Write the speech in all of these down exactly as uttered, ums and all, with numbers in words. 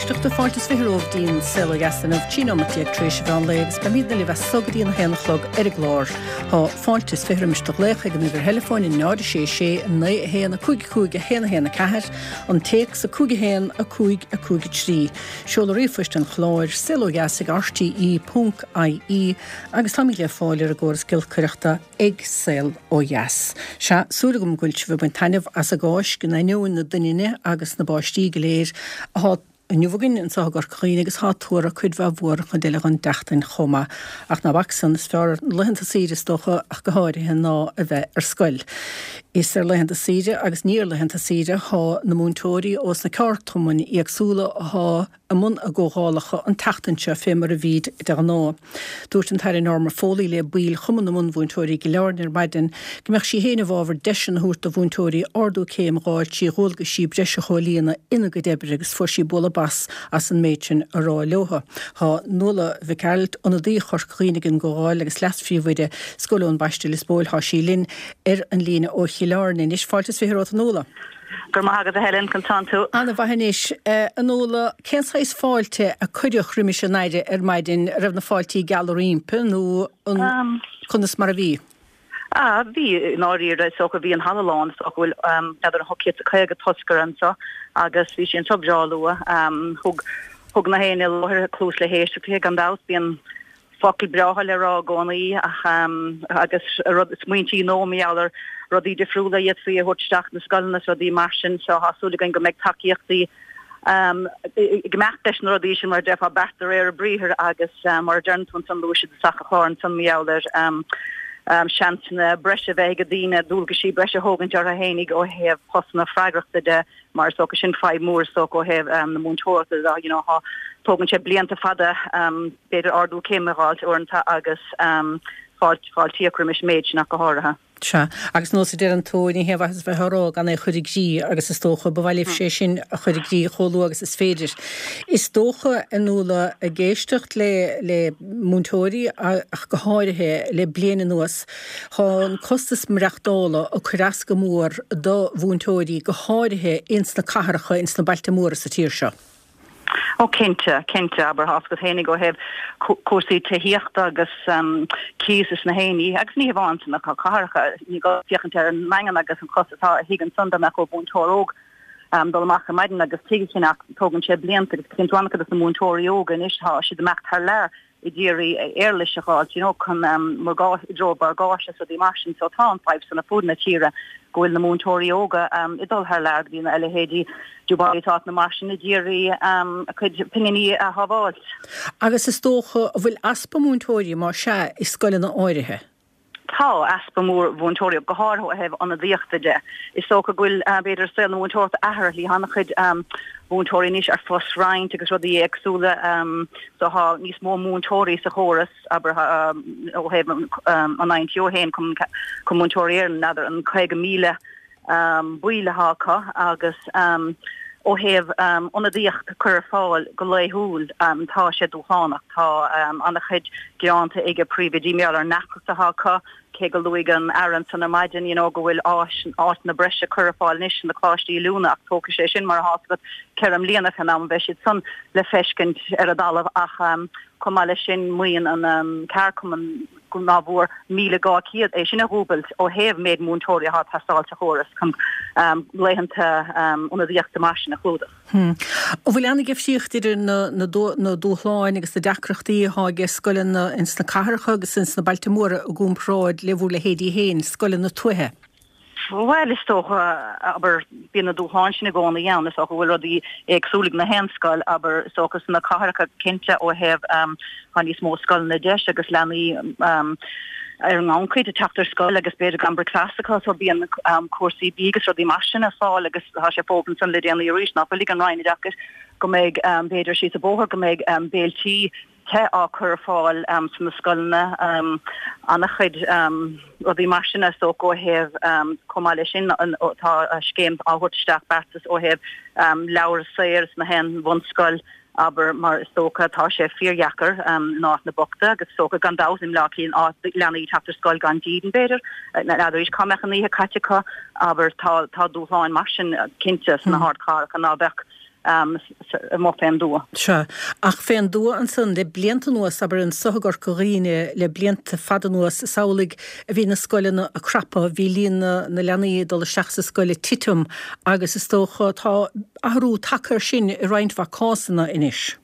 éisteachta fáilte is fiche romhaibh go dtí an Saol Ó Dheas inniu trí nóiméad déag tar éis an mheán lae agus beimidne libh as so go dtí an haon a chlog ar an gclár. Tá fáilte is fiche roimis do ghlaoch ag an uimhir theileafóin náid sé sé naoi a haon a cúig cúig a haon a haon a ceathair, an téacs a cúig a haon a cúig a cúig a trí. Seoladh ríomhphoist an chláir saol ó dheas ag RTE ponc IE agus táimid le fáil ar an gcóras giolcaireachta ag Saol Ó Dheas. Sea, súil agam go bhfuil sibh ag baint taitneamh as an gCáisc in ainneoin na doininne agus na báistí go léir atá inniu againn anseo i gCorca Dhuibhne agus tá tuartha cuid mhaith mhór an chuid eile den tseachtain chomh maith. Ach ná bac san is fearr laethanta saoire is dócha ach go háirithe ná a bheith ar scoil. Is ar laethanta saoire agus ní ar laethanta saoire thá na múinteoirí ós na ceardchumainn éagsúla athá i mbun a gcomhdhálacha an tseachtain seo fé mar a bhíd de ghnáth. Dúirt an tAire Norma Foley le baill Chumann na Bunmhúinteoirí i gCill Airne ar maidin go mbeadh sí féin i bhfabhar deiseanna a thabhairt do mhúinteoirí ardú céim a dh'fháil trí dhualgaisí breise a chomhlíonadh ina gcuid oibre agus fuair sí bualadh bos as an méid sin a rá leotha. Tá Nuala Mhic Gearailt, ionadaí Chorca Dhuibhne ag an gcomhdháil agus leas-phríomhoide Scoil Eoin Baiste Lios Póil thá sí linn ar an líne ó Chill Airne anois. Fáilte is fiche romhat a Nuala. Go raibh maith agat a Helen, conas tánn tú. Ana-mhaith anois. A Nuala, cén saghas fáilte a cuireadh roimis an Aire ar maidin, an raibh na fáiltí geala roimpi nó an conas mar a bhí? Ah, bhí, i ndáiríre, is dócha, bhí an halla lán, is dócha go bhfuil n'fheadar an ocht gcéad is caoga toscaire anseo agus bhí sí anseo breá luath. Thug thug na héinne i láthair cluas le héisteacht léi, gan dabht, bíonn focail breátha le rá i gcónaí ach agus rud smaointí nua mar gheall ar rudaí difriúla a d'fhéadfaí a thabhairt isteach na scoileanna is rudaí mar sin so tá súil againn go mbeidh tacaíochtaí ag imeacht leis na rudaí sin mar a déarfá beart de réir a briathair agus mar a deireann tú ansan luaigh siad i dtosach an chláir ansan mar gheall ar seansanna breise a bheith ag daoine dualgaisí breise a thógaint orthu fhéinig ó thaobh postanna freagrachta de mar is dócha sin fadhb mór is dócha ó thaobh na múinteoireachta de you know thá tógann sé blianta fada b'fhéidir ardú céime a dh'fháilt uaireanta agus fáilt fáiltíodh roimis an méid sin ach go háirithe. Sea, agus nós a deireann tú, ní haon mhaitheas a bheith á rá gan é a chur i gcrích agus is dócha, ba mhaith libhse é sin a chur i gcrích chomh luath agus is féidir. Is dócha, a Nuala, ag éisteacht le le múinteoirí ach go háirithe le bliain anuas, thá an costas maireachtála ag cur as go mór do mhúinteoirí, go háirithe ins na cathracha, ins na bailte móra sa tír seo. Ó cinnte, cinnte, abair tá a fhios agat fhéinig ó thaobh cúrsaí tithíochta agus cíos is na héinní, agus ní hamháin sna cathracha, ní gá féachaint ar an nDaingean agus an costas atá ar thigh ansan dá mbeadh ar mhúinteoir óg dul amach ar maidin agus tigh a cheannach, tógann sé blianta agus cíonn tú an-chuid de na múinteoirí óga anois, tá siad ag imeacht thar lear ag iarraidh éarlais a dh'fháilt, you know, chun morgáiste, i dtreo morgáiste is rudaí mar sin. So tá an fadhb san ar fud na tíre go bhfuil na múinteoirí óga ag dul thar lear go dtí na leithéidí Dubai is áiteanna mar sin ag iarraidh a cuid pinginí a shábháilt. Agus is dócha, an bhfuil easpa múinteoirí, más ea, i scoileanna áirithe? Tá easpa mór mhúinteoirí, go háirithe ó thaobh ionadaíochta de. Is dócha go bhfuil, b'fhéidir, saol na múinteoireachta athraithe le han-chuid múinteoirí anois ar phost-roinnt agus rudaí éagsúla so tá níos mó múinteoirí sa chóras, abair, ó thaobh an INTO féin, Cumann Múinteoirí Éireann, n'fheadar an caoga míle baill atá acu agus ó thaobh ionadaíocht a chur ar fáil go laethúil tá sé dúshlánach. Tá an-chuid gearánta ag príomhoidí mar gheall ar an ndeacracht atá acu, cé go luaigh an Aire ansan ar maidin you know go bhfuil áis áiteanna breise curtha ar fáil anois sna coláistí oiliúna ach tógfaidh sé sin mar atá a fhios agat ceithre mbliana fén am a bheidh siad san le feiscint ar an dtalamh ach chomh maith leis sin maíonn an ceardchumann go ná bhfuair míle dhá chéad é sin a dhúbailt ó thaobh méid múinteoirí atá ag teastáil sa chóras chun laethanta ionadaíochta mar sin a chlúdach. An bhfuil an-difríocht idir na na dúshláin agus na deacrachtaí atá ag scoileanna ins na cathracha agus ins na bailte móra i gcomparáid le bhur leithéidí féin, scoileanna tuaithe? Bhuel, is dócha, abair, bíonn na dúshláin sin i gcónaí ann, is dócha go bhfuil rudaí éagsúla ag na haon scoil, abair, is dócha sna cathracha cinnte ó thaobh tá níos mó scoileanna deis agus leanaí ar an ngannchuid ag teacht ar scoil agus b'fhéidir gan bricfeasta acu so bíonn cúrsaí bídh agus rudaí mar sin ar fáil agus tá sé fógartha ansan le déanaí arís nach bhfuil ag an Roinn Oideachais go mbeidh b'fhéidir síos an bóthar go mbeidh béiltí te á cur ar fáil sna scoileanna, an-chuid rudaí mar sin is dócha ó thaobh, chomh maith leis sin tá scéim á thabhairt isteach beartas ó thaobh leabhar saor sna haon bhunscoil, abair, mar is dócha tá sé fíordheacair in áiteanna bochta agus is dócha gan dabht i mBleá Cliath leanaí teacht ar scoil gan dídean b'fhéidir, n'fheadar arís cá mbeadh an oíche caite acu, abair, tá dúshláin mar sin cinnte sna hardchathracha ná beadh. amuigh fén dtuath. Sea, ach fén dtuath ansan le blianta anuas, abair anso i gCorca Dhuibhne le blianta fada anuas, is amhlaidh a bhí na scoileanna ag crapadh, bhí líon na leanaí ag dul isteach sa scoil ag titim agus is dócha tá athrú tagtha air sin i roinnt mhaith cásanna anois.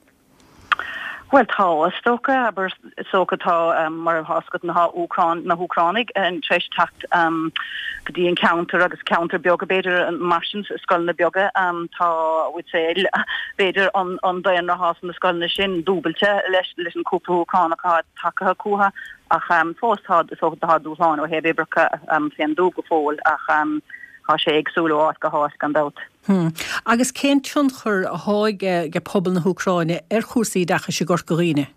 Bhuel tá, is dócha, abair, is dócha tá, mar atá fhios agat na hÚcráin, na hÚcránaigh tar éis teacht go dtí an ceantar agus ceantar beaga b'fhéidir mar sin, scoileanna beaga, tá, would say, b'fhéidir an an daonra atá sna scoileanna sin dúbailte leis leis an cúpla Úcránach atá tagtha chucu ach fós tá, is dócha tá dúshláin ó thaobh oibreacha fén dtuath go fóill ach tá sé éagsúil ó áit go háit gan dabht. Hmm. Agus cén tionchar athá ag pobal na hÚcráine ar chúrsaí oideachais i gCorca Dhuibhne?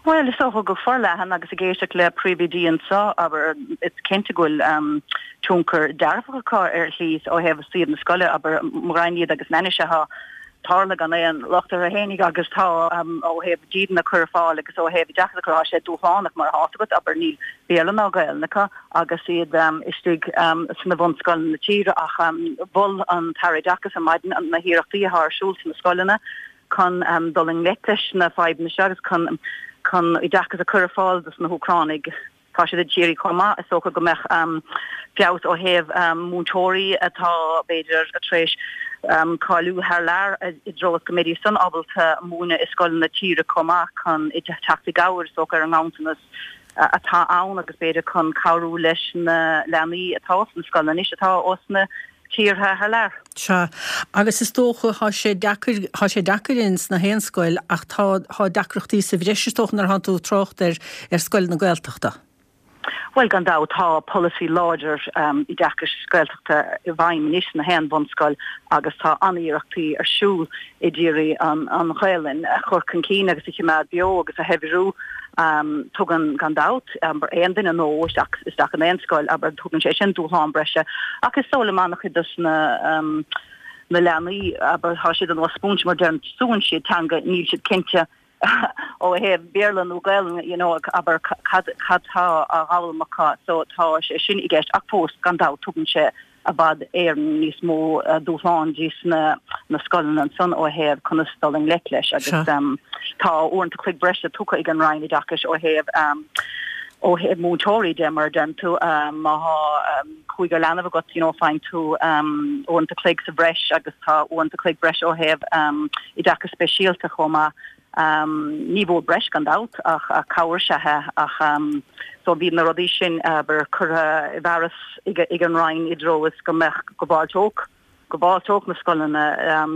Bhuel, is dócha go forleathan agus ag éisteacht le príomhoidí anseo, abair, is cinnte go bhfuil um, tionchar dearfach acu ar shlí ó thaobh suíomh na scoile, abair, mo ghraidhin iad agus an ainnise atá tarlaithe gan aon locht orthu fhéinig agus tá um, ó thaobh dídean a chur ar fáil agus ó thaobh oideachas a chur, tá sé dúshlánach mar atá agat, abair, níl Béarla ná Gaelainn acu agus iad um, istigh um, sna bunscoileanna na tíre ach um, mhol an tAire Oideachais ar maidin na hiarrachtaí atá ar siúl sna scoileanna chun um, dul i ngleic leis na fadhbanna seo agus chun chun oideachas a chur ar fáil dos na hÚcránaigh. Tá siad ag iarraidh chomh maith, is dócha go mbeadh feabhas ó thaobh múinteoirí atá, b'fhéidir, tar éis cáiliú thar lear i dtreo is go mbeidís san ábalta múineadh i scoileanna na tíre chomh maith chun teacht i gcabhair, is dócha, ar an nganntanas atá ann agus b'fhéidir chun cabhrú leis na leanaí atá sna scoileanna anois atá ós na tíortha thar lear. Sea, agus is dócha, thá sé deacair, thá sé deacair ins na haon scoil ach tá, thá deacrachtaí sa bhreis is dócha nuair a thánn tú ag trácht ar, ar scoileanna Gaeltachta. Bhuel, gan dabht, tá polasaí láidir oideachais Gaeltachta i bhfeidhm anois sna haon bhunscoil agus tá an-iarrachtaí ar siúl i d'iarraidh an, an Ghaelainn a chur chun cinn agus a choimeád beo agus a shaibhriú. Tugann, gan dabht, aon duine nua isteach isteach in aon scoil, abair, tugann sé sin dúshlán breise. Ach is dóigh liom an-chuid dos na na leanaí, abair, tá siad ar nós spúinse mar deireann, súnn siad teanga, níl siad cinnte ó thaobh Béarla nó Gaelainn, you know, abair, cad cad tá á fhoghlaim acu. So tá sé sin i gceist ach fós, gan dabht, tugann sé i bhfad Éireann níos mó dúshlán dís na na scoileanna ansan ó thaobh conas dul i ngleic leis agus tá uaireanta cloig breise tugtha ag an Roinn Oideachais ó thaobh ó thaobh múinteoirí de mar a deireann tú má thá cúigear leanbh agat you know faigheann tú uaireanta cloig sa bhreis agus tá uaireanta cloig breise ó thaobh oideachas speisialta chomh maith. Ní mhór breis gan dabht ach cabhair is ea é ach so bhí na rudaí sin abair curtha i bhfearas ag an Roinn i dtreo is go mbeadh go bhfáilteodh go bhfáilteodh na scoileanna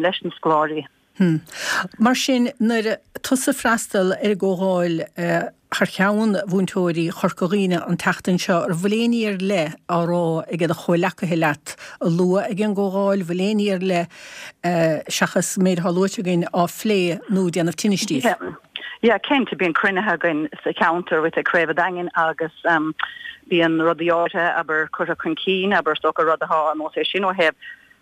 leis na scoláirí. Hmm. Mar sin nuair tusa ag freastal ar an gcomhdháil thar cheann mhúinteoirí Chorca Dhuibhne an tseachtain seo, an bhfuil aon ní ar leith á rá ag do chomhleacaithe leat a lua ag an gcomhdháil, bhfuil aon ní ar leith seachas an méid atá luaite againn á phlé nó ag déanamh tinnis díobh? Yeah, cinnte, bíonn cruinnithe againn sa cheantar with Craobh an Daingin agus bíonn rudaí áirithe, abair, curtha chun cinn, abair, is dócha rud atá ar nós é sin ó thaobh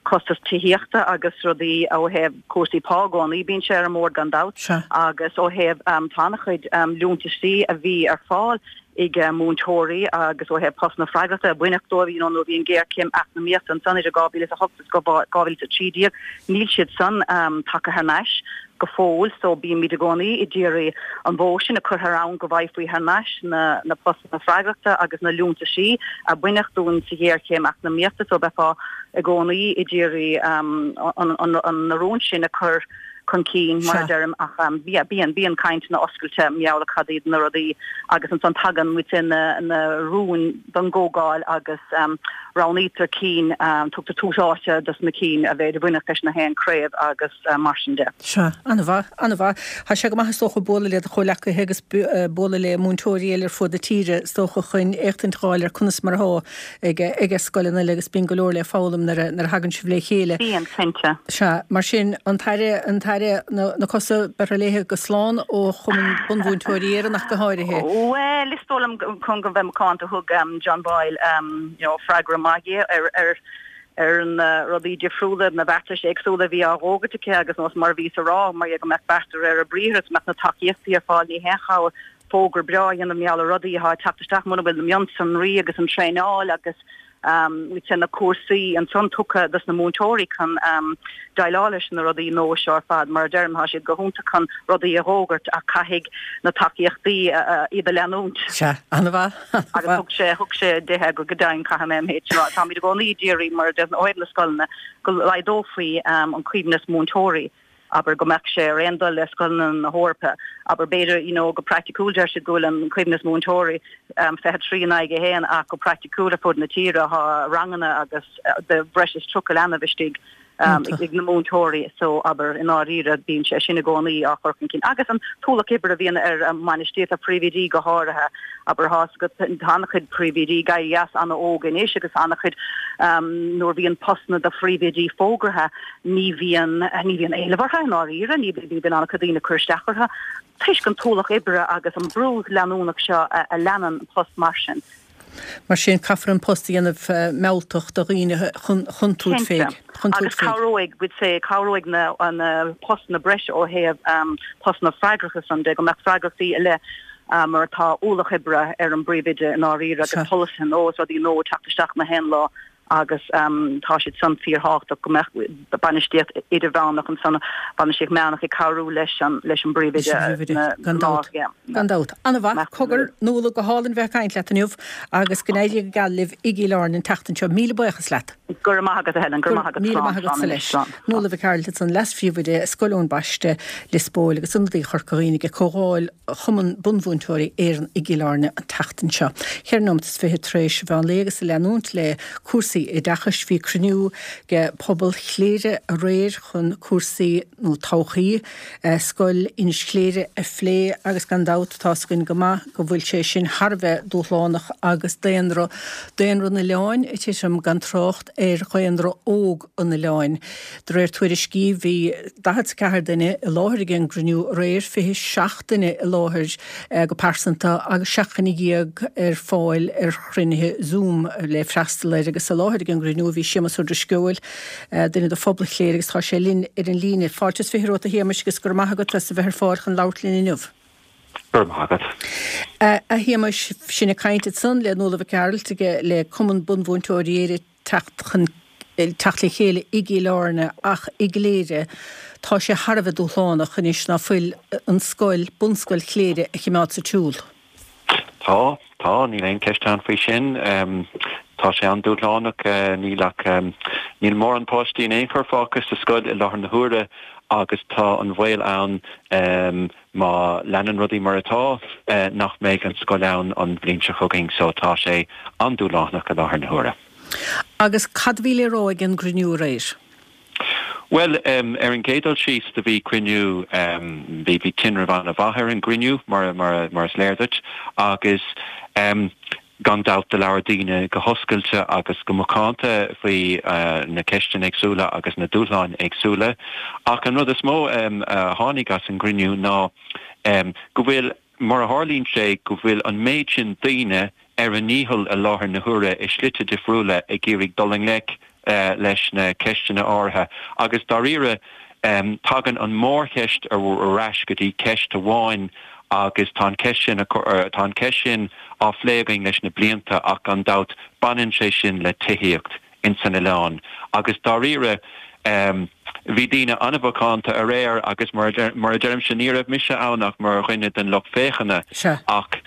costas tithíochta agus rudaí ó thaobh cúrsaí pá i gcónaí, bíonn sé ar an mbord gan dabht, agus ó thaobh tá an-chuid liúntaisí a bhí ar fáil ag múinteoirí agus ó thaobh postanna freagrachta a baineadh dóibh, you know, nuair a bhí an ghéarchéim eacnamaíochta ansan idir dhá mhíle is a hocht agus dhá mhíle is a trí déag, níl siad san tagtha thar n-ais go fóill so bímid i gcónaí ag iarraidh an bhó sin a chur thar abhainn go bhfaighfí thar n-ais na na postanna freagrachta agus na liúntaisí a baineadh dúinn sa ghéarchéim eacnamaíochta so bheifeá i gcónaí ag iarraidh an an an na rúin sin a chur chun cinn mar a deirim ach yeah bíonn bíonn cainteanna oscailte mar gheall ar cad iad na rudaí agus ansan tagann muid na na rúin don gcomhdháil agus roghnaítear cinn tugtar tús áite dos na cinn a bheidh a bhainfeadh leis na haon craobh agus mar sin de. Sea, an-mhaith, an-mhaith. Tá sé go maith is dócha bualadh le do chomhleacaithe agus bualadh le múinteoirí eile ar fud na tíre is dócha chun éachtaint a dh'fháil ar conas mar atá ag ag scoileanna eile agus bíonn go leor le foghlaim nuair a nuair a thagann sibh le chéile. Bíonn, cinnte. Sea, mar sin, an tAire, an tAire, na na cosa beirthe léithe go slán ó Chumann Bunmhúinteoirí Éireann ach go háirithe. Bhuel, is dóigh liom chun go bheith macánta thug John Boyle you know freagra maith di ar ar ar na rudaí difriúla, na beartais éagsúla a bhí á bhfógairt aici agus nós mar a bhíos a rá, mar go mbeadh beart de réir a briathair is go mbeadh na tacaíochtaí ar fáil ní haon chabhair fógra breá a dhéanamh mar gheall ar rudaí atá ag teacht isteach muna bhfuil na mionsonraí agus an traenáil agus we'd say na cúrsaí ansan tugtha dos na múinteoirí chun déileáil leis na rudaí nua seo ar fad mar a deirim tá siad go hiontach chun rudaí a fhógairt ach caithfidh na tacaíochtaí iad a leanúint. Sea, an-mhaith. Agus thug sé thug sé deich go go deimhin caithfidh mé an méid sin a rá. Táimid i gcónaí ag iarraidh mar a deir ó thaobh na scoileanna go laghdófaí an coibhneas múinteoirí abair go mbeadh sé ar aon dul le scoileanna na hEorpa, abair b'fhéidir you know go praiticiúil deir siad go bhfuil an coibhneas múinteoirí um, fiche trí in aghaidh a haon ach go praiticiúil ar fud na tíre tá ranganna agus de bhreis is tríocha leanbh istigh um, ag na múinteoirí so abair i ndáiríre bíonn sé sin i gcónaí á chur chun cinn. Agus an t-ualach oibre a bhíonn ar um, bhainistíocht ar phríomhoidí go háirithe abair tá go an-chuid príomhoidí ag éirí as an-óg anois agus an-chuid um, nuair bhíonn postanna do phríomhoidí fógartha ní bhíonn ní bhíonn éileamh orthu i ndáiríre ní bhíonn an-chuid daoine ag cur isteach orthu toisc an t-ualach oibre agus an brú leanúnach seo a, a leanann post mar sin. Mar sin caithfear an post a dhéanamh mealltach do dhaoine chun tabhairt faoi. Agus cabhróidh we'd say cabhróidh na na postanna breise ó thaobh um, postanna freagracha san de go mbeadh freagrachtaí i leith um, mar atá ualach oibre ar an bpríomhoide i ndáiríre agus polasaithe nua is rudaí nua teacht isteach na haon lá agus um, tá siad san fíorthábhachtach go mbeadh bainistíocht idirmheánach ansan bainistíocht meánach ag cabhrú leis an leis an bpríomhoide gan dabht. Gan dabht. An-mhaith cogar Nuala go hálainn bheith ag caint leat inniu agus go n-éirí go geal libh i gCill Airne an tseachtain seo. Míle buíochas leat. Go raibh maith agat a Helen, go raibh maith agat. Míle maith agat leis. Nuala Mhic Gearailt ansan leas-phríomhoide Scoil Eoin Baiste Lios Póil agus ionadaí Chorca Dhuibhne ag Comhdháil Chumann Bunmhúinteoirí Éireann i gCill Airne an tseachtain seo. Ceithre nóiméad is fiche tar éis mheán lae agus ag leanúint le cúrsaí oideachais bhí cruinniú ag pobal Chléire aréir chun cúrsaí nó todhchaí scoil Inis Chléire a phlé agus gan dabht tá a fhios againn go maith go bhfuil sé sin thar a bheith dúshlánach agus daonra daonra an oileáin ag titim gan trácht ar dhaonra óg an oileáin. De réir tuairiscí bhí daichead is ceathair duine i láthair ag an gcruinniú aréir, fiche seacht duine i láthair go pearsanta agus seacht nduine dhéag ar fáil ar chruinnithe Zoom le freastal air agus i láthair ag an gcruinniú bhí Séamus Ó Drisceoil, duine de phobal Chléire agus tá sé linn ar an líne. Fáilte is fiche romhat a Shéamais agus go raibh maith agat as a bheith ar fáil chun labhairt linn inniu. Go raibh maith agat. A Shéamais, sinn ag caint ansan le Nuala Mhic Gearailt le Cumann Bunmhúinteoirí Éire teacht chun teacht le chéile i gCill Airne ach i gCléire tá sé thar a bheith dúshlánach anois ná fuil an scoil, bunscoil Chléire a choimeád sa tsiúl. Tá, tá, níl aon cheist ann faoi sin. Tá sé an-dúshlánach, níl ach, níl mórán páistí in aon chor fágtha sa scoil i láthair na huaire agus tá an baol ann má leanann rudaí mar atá nach mbeidh an scoil ann an bhliain seo chugainn so tá sé an-dúshlánach i láthair na huaire. Agus cad a bhí le rá ag an gcruinniú aréir? Bhuel, ar an gcéad dul síos do bhí cruinniú, bhí bhí tinreamh an-mhaith ar an gcruinniú mar mar mar is léir duit agus gan dabht do labhair daoine go hoscailte agus go macánta faoi na ceisteanna éagsúla agus na dúshláin éagsúla. Ach an rud is mó a tháinig as an gcruinniú ná go bhfuil, mar a tharlaíonn sé, go bhfuil an méid sin daoine ar a ndícheall i láthair na huaire i slite difriúla ag iarraidh dul i ngleic leis na ceisteanna áirithe agus dáiríre tagann an mhórcheist ar ais go dtí ceist amháin agus tá an ceist sin tá an ceist sin á phlé againn leis na blianta ach gan dabht baineann sé sin le tithíocht ins an oileán agus dáiríre bhí daoine an-mhacánta aréir agus mar mar a deirimse ní raibh mise ann ach mar dhuine den lucht féachana ach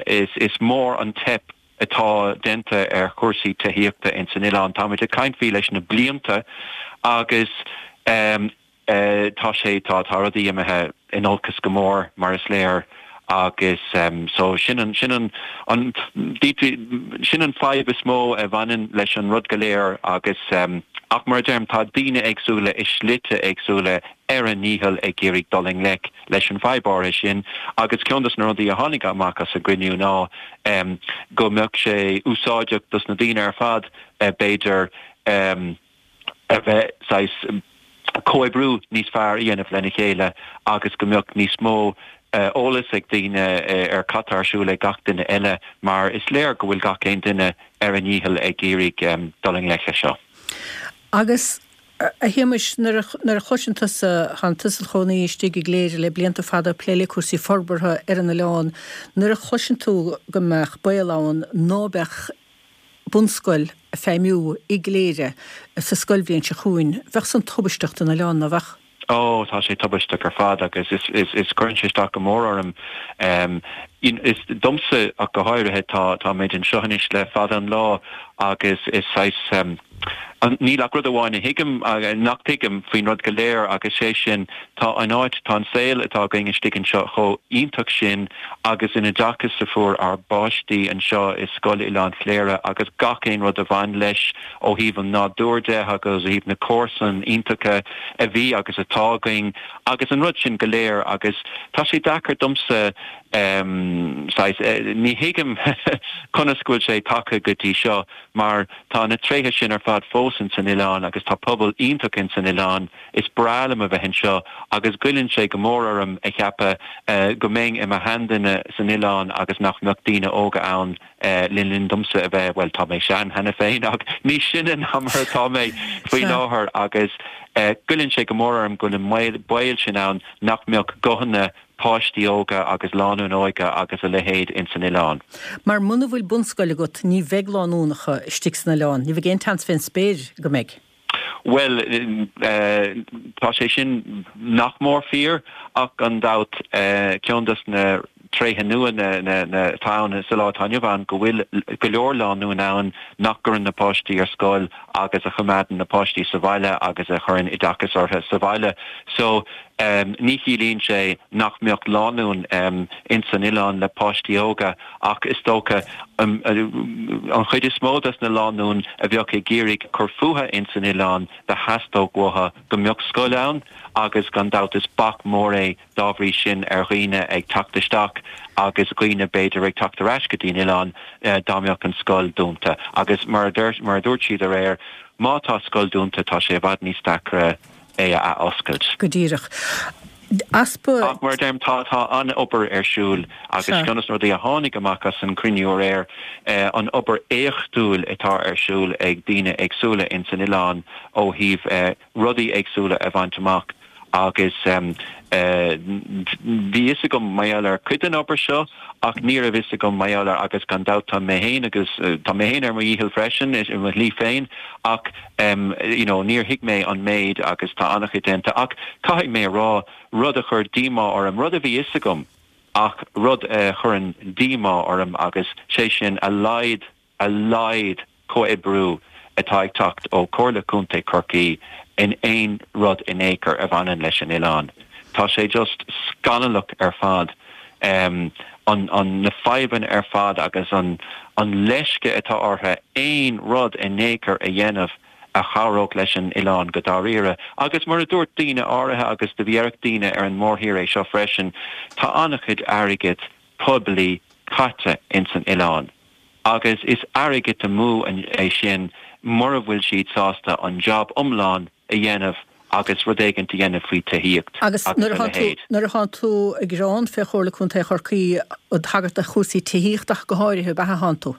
is is mór an teip atá déanta ar chúrsaí tithíochta ins an oileán. Táimid ag caint faoi leis na blianta agus tá sé, tá, tá rudaí imithe in olcas go mór mar is léir agus so sin an, sin an, an, sin an fadhb is mó a bhaineann leis an rud go léir agus ach mar a deirim tá daoine éagsúla i slite éagsúla ar a ndícheall ag iarraidh dul i ngleic leis an bhfadhb áirithe sin agus ceann dos na rudaí a tháinig amach as an gcruinniú ná go mbeadh sé úsáideach dos na daoine ar fad b'fhéidir a bheith saghas comhoibriú níos fearr a dhéanamh lena chéile agus go mbeadh níos mó eolas ag daoine ar cad tá ar siúl ag gach duine eile mar is léir go bhfuil gach aon duine ar a ndícheall ag iarraidh dul i ngleic leis seo. Agus, a Shéamais, nuair a chloiseann tusa, tánn tusa id chónaí istigh i gCléire le blianta fada ag plé le cúrsaí forbartha ar an oileán, nuair a chloiseann tú go mbeadh baol ann ná beadh bunscoil ag feidhmiú i gCléire sa scoilbhliain seo chugainn, bheadh san tubaisteach don oileán, ná bheadh? Ó, tá sé tubaisteach ar fad agus is, is, is cuireann sé isteach go mór orm. Is domsa ach go háirithe, tá, táimid anseo anois le fada an lá agus is saghas, níl ach rud amháin a thuigim, nach dtuigim faoin rud go léir agus sé sin, tá an áit, tá an saol atá againn istigh anseo chomh iontach sin agus an oideachas a fuair ár bpáistí anseo i Scoil Oileán Chléire agus gach aon rud a bhain leis ó thaobh an nádúir de agus ó thaobh na comharsan iontacha a bhí agus atá againn agus an rud sin go léir agus tá sé deacair domsa saghas, ní thuigim conas go bhfuil sé tagtha go dtí seo mar tá na tréithe sin ar fad fós ins an oileán agus tá pobal iontach ins an oileán, is breá liom a bheith anseo agus goilleann sé go mór orm a cheapadh go mbeinn i mo sheanduine san oileán agus nach mbeadh daoine óga ann le linn domsa a bheith, bhuel tá mé sean cheana féin ach níos sine ná mar atá mé faoi láthair agus goilleann sé go mór orm go bhfuil an baol sin ann nach mbeadh guthanna páistí óga agus lánúin óga agus a leithéid ins an oileán. Mar muna bhfuil bunscoil agat ní bheidh lánúnacha istigh san oileán, ní bheidh aon tseans fén spéir go mbeidh. Bhuel, tá sé sin nach mór fíor ach gan dabht ceann dos na tréithe nua atá ann sa lá atá inniu ann go bhfuil go leor lánúin ann nach gcuireann na páistí ar scoil agus a choimeádann na páistí sa bhaile agus a chuireann oideachas orthu sa bhaile. So ní chiallaíonn sé nach mbeadh lánúin ins an oileán le páistí óga ach is dócha an chuid is mó des na lánúin a bheadh ag iarraidh cur fúthu ins an oileán do theastódh uathu go mbeadh scoil ann agus gan dabht is bac mór é dá bhrí sin ar dhaoine ag teacht isteach agus dhaoine b'fhéidir ag teacht ar ais go dtí an oileán dá mbeadh an scoil dúnta agus mar a dúirt siad aréir má tá scoil dúnta tá sé i bhfad níos deacra é a athoscailt. Go díreach. Easpa. Ach mar a deirim, tá, tá an-obair ar siúl agus ceann de na rudaí a tháinig amach as an cruinniú aréir, an obair éachtúil atá ar siúl ag daoine éagsúla ins an oileán ó thaobh rudaí éagsúla a bhaint amach agus bhí fhios agam mar gheall ar cuid den obair seo ach ní raibh fhios agam mar gheall ar agus gan dabht tá mé féin agus tá mé féin ar mo dhícheall freisin i mo shlí féin ach you know níor thuig mé an méid agus tá an-chuid déanta ach caithfidh mé a rá rud a chuir díomá orm, rud a bhí fhios agam ach rud a chuireann díomá orm agus sé sin a laghad a laghad comhoibriú atá ag teacht ó Chomhairle Contae Chorcaí in aon rud in aon chor a bhaineann leis an oileán. Tá sé just scannalach ar fad an an na fadhbanna ar fad agus an an leisce atá orthu aon rud in aon chor a dhéanamh a chabhródh leis an oileán go dáiríre. Agus mar a dúirt daoine áirithe agus do bhí ar daoine ar an mórthír é seo freisin, tá an-chuid airgid poiblí caite ins an oileán agus is airgead amú é sin mura bhfuil siad sásta an job iomlán a dhéanamh agus rud éigin a dhéanamh faoi tithíocht agus a leithéid. Nuair atá tú ag gearán fé Chomhairle Contae Chorcaí ag tagairt do chúrsaí tithíochta ach go háirithe, ab ea atánn tú?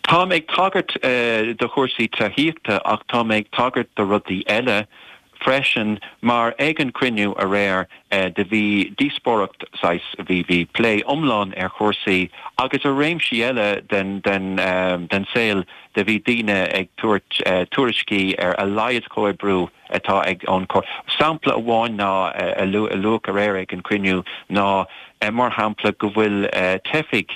Táim ag tagairt do chúrsaí tithíochta ach tá mé ag tagairt do rudaí eile freisin mar ag an cruinniú aréir do bhí díospóireacht saghas, bhí bhí plé iomlán ar chúrsaí agus ar réimsí eile den den den saol do bhí daoine ag tabhairt tuairiscí ar a laghad comhoibriú atá ag ón Sampla amháin ná a luadh aréir ag an cruinniú ná mar shampla go bhfuil teifigh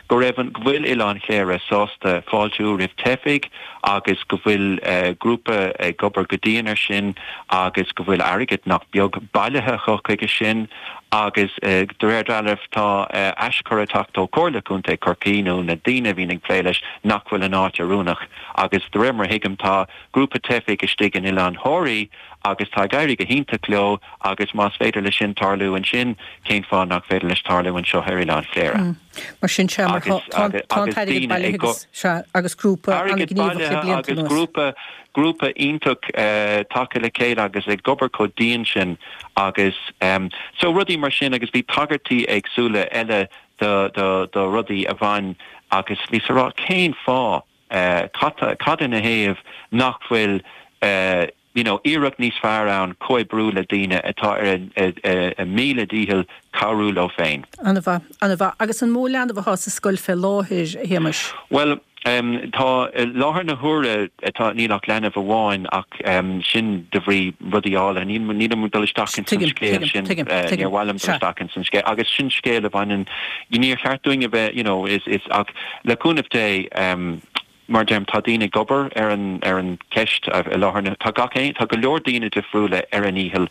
go raibh an, go bhfuil Oileán Chléire sásta fáiltiú roimh teifigh agus go bhfuil grúpa ag obair go dian ar sin agus go bhfuil airgead nach beag bailithe acu chuige sin agus de réir dealraimh tá aischur ag teacht ó Chomhairle Contae Chorcaí nó na daoine a bhíonn ag plé leis nach bhfuil an áit oiriúnach agus de réir mar a thuigim tá grúpa teifigh istigh in Oileán Thoraí agus tá ag éirí go hiontach leo agus más féidir leis sin tarlú ansin, cén fáth nach féidir leis tarlú anseo ar Oileán Chléire? Mar sin sea, mar tá an t-airgead bailithe agus, sea, agus grúpa an-ghníomhach le blianta anuas. Grúpa, grúpa iontach tagtha le chéile agus ag obair chomh dian sin agus so rudaí mar sin agus bhí tagairtí éagsúla eile do, do, do rudaí a bhain agus bhíos ag rá cén fáth, cad, cad ina thaobh nach bhfuil you know iarracht níos fearr ann comhoibriú le daoine atá ar a míle dícheall cabhrú leo féin. Ana-mhaith, ana-mhaith. Agus an mó leanbh atá sa scoil fé láthair, a Shéamais? Bhuel, Um, tá i láthair na huaire tá níl ach leanbh amháin ach um, sin de bhrí rudaí eile níl níl dul isteach in san scéal sin uh, níor mhaith liom dul isteach in san scéal agus sin scéal a bhaineann níor cheart dúinn a bheith you know, is, is ach le cúnamh Dé um, mar deirim tá daoine ag obair ar an ar an ceist i láthair na tá gach aon tá go leor daoine difriúla ar a ndícheall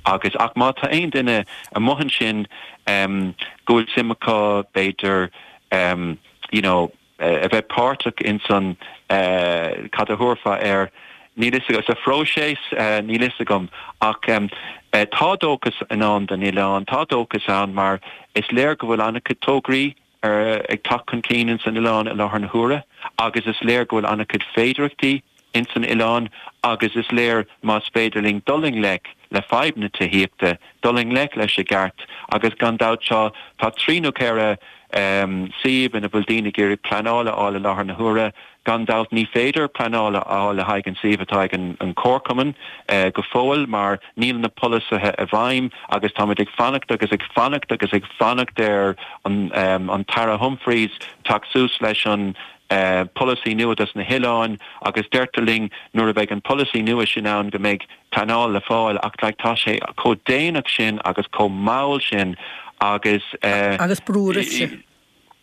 agus ach má tá aon duine amuigh ansin um, go bhfuil suim acu b'fhéidir um, you know, a bheith páirteach in san cad a thabharfá air níl a fhios sa phróiseas níl a fhios agam ach tá dóchas i ndán don oileán, tá dóchas ann mar is léir go bhfuil an-chuid tograí ag teacht chun cinn in san oileán i láthair na huaire agus is léir go bhfuil an-chuid féidearthachtaí in san oileán agus is léir más féidir linn dul i ngleic le fadhb na tithíochta, dul i ngleic leis i gceart agus gan dabht seo tá trí nó ceithre um, suíomh ina bhfuil daoine ag iarraidh pleanáil a fháil i láthair na huaire, gan dabht ní féidir pleanáil a fháil le haghaidh an suíomh atá ag an, an Comharchumann uh, go fóill mar níl na polasaithe i bhfeidhm agus táimid ag fanacht agus ag fanacht agus ag fanacht ar an, um, an tAire Humphreys teacht suas leis an uh, polasaí nua dos na hoileáin agus deirtear linn nuair a bheidh an polasaí nua sin ann go mbeidh pleanáil le fáil ach like, tá sé chomh déanach sin agus chomh mall sin agus uh, agus brú oraibhse.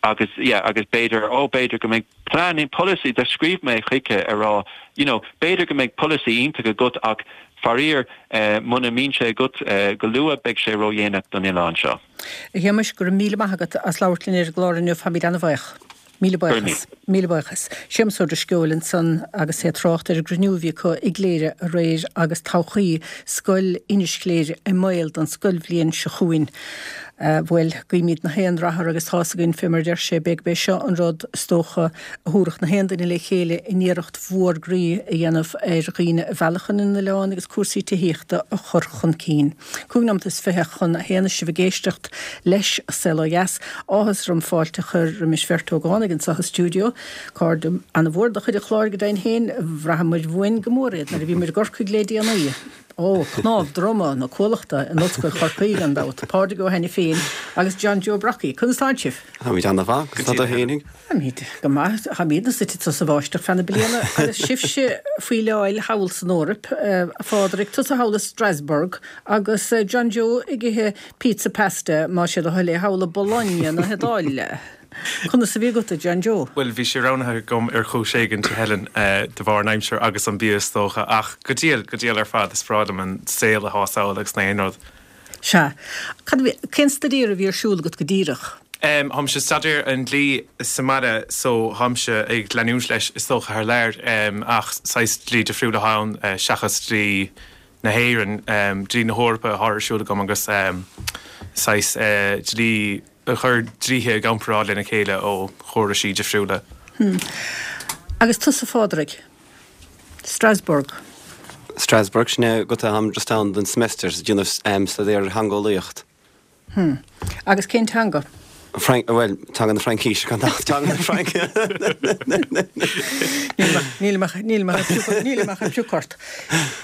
agus yeah, agus b'fhéidir ó b'fhéidir go mbeidh plean polasaí do scríobh mé chuige a rá you know, b'fhéidir go mbeidh polasaí iontach agat ach faraor uh, muna mbíonn sé agat uh, go luath beidh sé ródhéanach don oileán seo. A Shéamais go raibh míle maith agat as labhairt linn ar an gclár inniu táimid an-bhuíoch. Míle buíochas. Míle buíochas. Séamus Ó Drisceoil ansan agus é ag trácht ar an gcruinniú a bhí acu i gCléire aréir agus todhchaí scoil Inis Chléire i mbaol don scoilbhliain seo chugainn. Bhuel, guímid na haon rath air agus tá's againn fé mar deir sé beidh b'é seo an rud is dócha a thabharfadh na haon duine le chéile in iarracht mhór groí a dhéanamh ar dhaoine a mhealladh chun an oileáin agus cúrsaí tithíochta a chur chun cinn. Cúig nóiméad is fiche chun a haon is sibh ag éisteacht leis An Saol Ó Dheas. Áthas orm fáilte a chur roimis bheirt ógánaigh anseo sa stiúideo. Cairde an-mhór de chuid an chláir go deimhin féin, bhraitheamar uainn go mór iad nuair a bhí muid i gCorcaigh le déanaí. Ó, cnámh droma na Cuallachta in Ollscoil Chorcaí gan dabht, Pádraig Ó hAiniféin agus John Joe Brockie. Conas tánn sibh? Táimid an-mhaith, conas tá tú fhéinig? Táimid go maith, táimid suite sa bháisteach feadh na bliana agus sibhse faoi leáil thall san Eoraip, a Phádraig, tusa thall i Strasbourg agus John Joe ag ithe pizza pasta más é do thoil é thall i Bologna na hIodáile. Conas a bhí agat, a John Joe? Bhuel, bhí sé roghnaithe agam ar chúis éigin, a Helen, de bharr an aimsir agus an bia is dócha, ach go diail, go diail ar fad, is breá liom an saol atá thall agus na haon rud. Sea. Cad a bhí, cén staidéar a bhí ar siúl agat go díreach? Um, Táimse ag staidéar an dlí sa mbaile so táimse ag leanúint leis is dócha thar lear, um, ach saghas dlí difriúil atá ann, uh, seachas dlí na hÉireann, um, dlí na hEorpa atá ar siúl agam agus um, saghas uh, dlí a chur dlíthe i gcomparáid lena chéile ó chóraisí difriúla. Hmm. Agus tusa a Phádraig? Strasbourg. Strasbourg, sin é go táim just ann don semester ag déanamh um, staidéar theangeolaíocht. Hmm. Agus cén teanga? Frank, well, teanga na Fraincise gan dabht teanga na Fraince. Níl mé ag piocadh ort.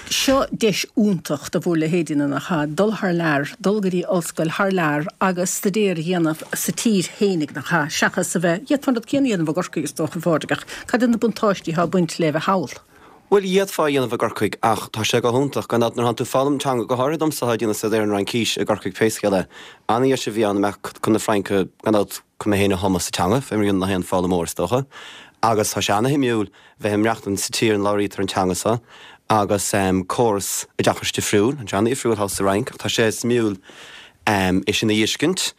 Seo deis iontach do bhur leithéidí nach ea, dul thar lear, dul go dtí ollscoil thar lear agus staidéar a dhéanamh sa tír fhéinig nach ea, seachas a bheith, d'fhéadfá an rud céanna a dhéanamh i gCorcaigh is dócha a Phádraig ach cad iad na buntáistí atá ag baint le bheith thall? Bhuel d'fhéadfá a dhéanamh i gCorcaigh ach tá sé go hiontach gan dabht nuair atánn tú ag foghlaim teanga, go háirithe domsa atá ag déanamh staidéar an Fhraincis i gCorcaigh pé scéal é. An-dheis a bhí ann imeacht chun na Fraince gan dabht chun mé féin a thumadh sa teanga, fé mar a dhéanann na haon foghlaimeoir is dócha. Agus tá sé ana-shuimiúil bheith ag maireachtaint sa tír ina labhraítear an teanga seo agus córas oideachais difriúil, tá sé an-difriúil thall sa Fhrainc ach tá sé suimiúil é sin a fheiscint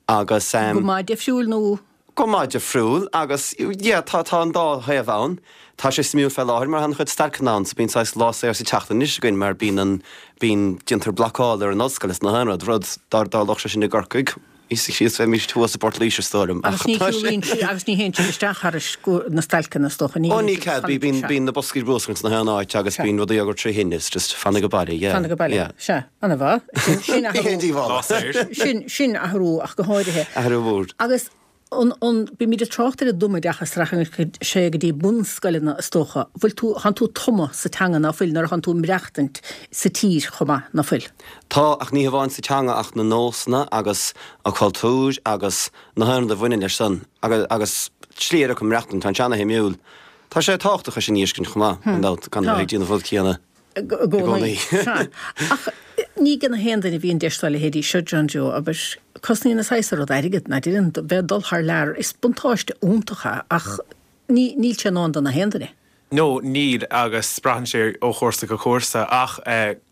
agus. Go maith difriúil nó? Go maith difriúil agus yeah tá tá an dá thaobh ann. Tá sé suimiúil fé láthair mar tá an-chuid stailceanna ann so bíonn saghas lá saor sa tseachtain anois againn mar bíonn an bíonn déantar blocáil ar an ollscoil is na haon rud, rud dá dtarlódh sé sin i gCorcaigh síos bheimis thuas i bPort Laoise is dóigh liom. Agus ní shiúlaíonn sí agus ní théann siad isteach thairis na stailceanna is dócha, ní Ó ní cead, bí bíonn bíonn na boscaí bruscair ins na haon áit agus bíonn rudaí á gcur trí thine, is just fanaigh abhaile, yeah. Fanaigh abhaile, yeah. Sea, an-mhaith. Sin sin Ní haon athrú. díobháil. Lá saor. Sin sin athrú ach go háirithe. Athrú mór. Agus an an bímid ag trácht ar an dtumoideachas rachann sé go dtí bunscoileanna is dócha. Bhfuil tú thánn tú tumtha sa teanga ná fuil nuair a thánn tú ag maireachtaint sa tír chomh maith ná fuil? Tá, ach ní hamháin sa teanga ach na nósanna agus an cultúr agus na haon rud a bhaineann leis san. Agus agus slí eile chun maireachtaint, tá sé ana-shuimiúil. Tá sé tábhachtach é sin a fheiscint chomh maith, gan dabht, gan a bheith ag déanamh rud céanna i gcónaí. Sea. Ach ní ag gach aon duine a bhíonn deis dá leithéidí seo, John Joe, abair, cosnaíonn an saghas rud airgead, ná deireann, bheith ag dul thar lear, is buntáiste iontach é ach ní, níl sé in ann do na haon duine. No, níl, agus braitheann sé ó chúrsa go cúrsa, ach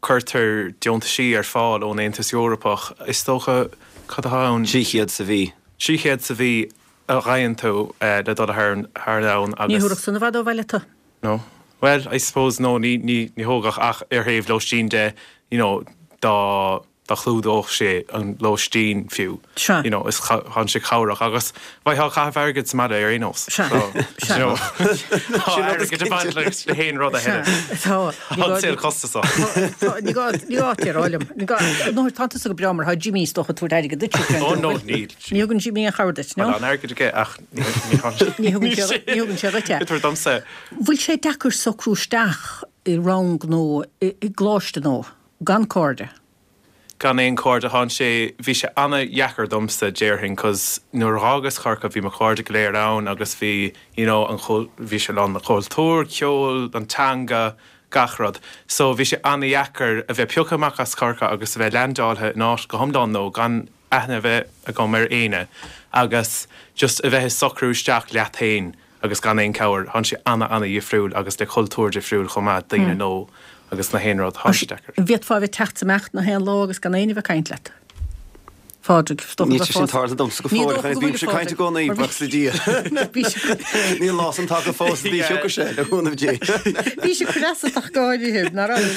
cuirtear deontaisí ar fáil ón Aontas Eorpach, is dócha, cad atá ann? Trí chéad sa mhí. Trí chéad sa mhí a fhaigheann tú le dul thar domhan agus. Ní thabharfadh san i bhfad ó bhaile tú. No. Bhuel, I suppose, no, ní, ní, ní thógfadh ach ar thaobh lóistín de, you know, dá, dá chlúdódh sé an lóistín fiú. Sea. You know, is tá sé cabhrach agus bheifeá ag caitheamh airgid sa mbaile ar aon nós. Sea. So, Sea. you know, tá airgead ag baint leis na haon rud a Sea. thuilleadh. Tá. Tá an saol costasach. Tá, ní gá, ní gá duit a rá liom. Ní gá, nó tá tusa go breá mar tá Jimmy is dócha ag tabhairt airgead duit. Oh no, níl. Ní thugann Jimmy aon chabhair duit, no? Tá an airgead aige ach ní, ní Ní thugann sé, ní thugann sé duit é. Ag tabhairt domsa. Bhfuil sé deacair socrú isteach i rang nó i, i gcoláiste nó gan cairde? Gan aon cairde thá sé, bhí sé ana-dheacair domsa déarfainn cos nuair a dh'fhágas Corcaigh bhí mo chairde go léir ann agus bhí you know an bhí sé lán le cultúr, ceol, an teanga, gach rud. So bhí sé ana-dheacair a bheith pioctha amach as Corcaigh agus a bheith leaindeáilte in áit go hiomlán nua gan aithne a bheith agam ar éinne agus just a bheith ag socrú isteach leat féin agus gan aon chabhair. Thá sé ana-ana-dhifriúil agus le cultúr difriúil chomh maith, daoine nua agus na haon rud, thá sé deacair. An bhféadfá a bheith ag teacht is imeacht na haon lá agus gan éinne a bheith ag caint leat? Phádraig, is dócha Níl go sé sin tarlaithe domsa go Ní fóill, dócha go bímse bhfuil ag caint i gcónaí, Mar bhí- buíochas le Dia. Bhí sé- Níl lá san tagtha fós, ní thiocfaidh sé, le cúnamh Dé. Bhí sé cneasach go háirithe, ná raibh.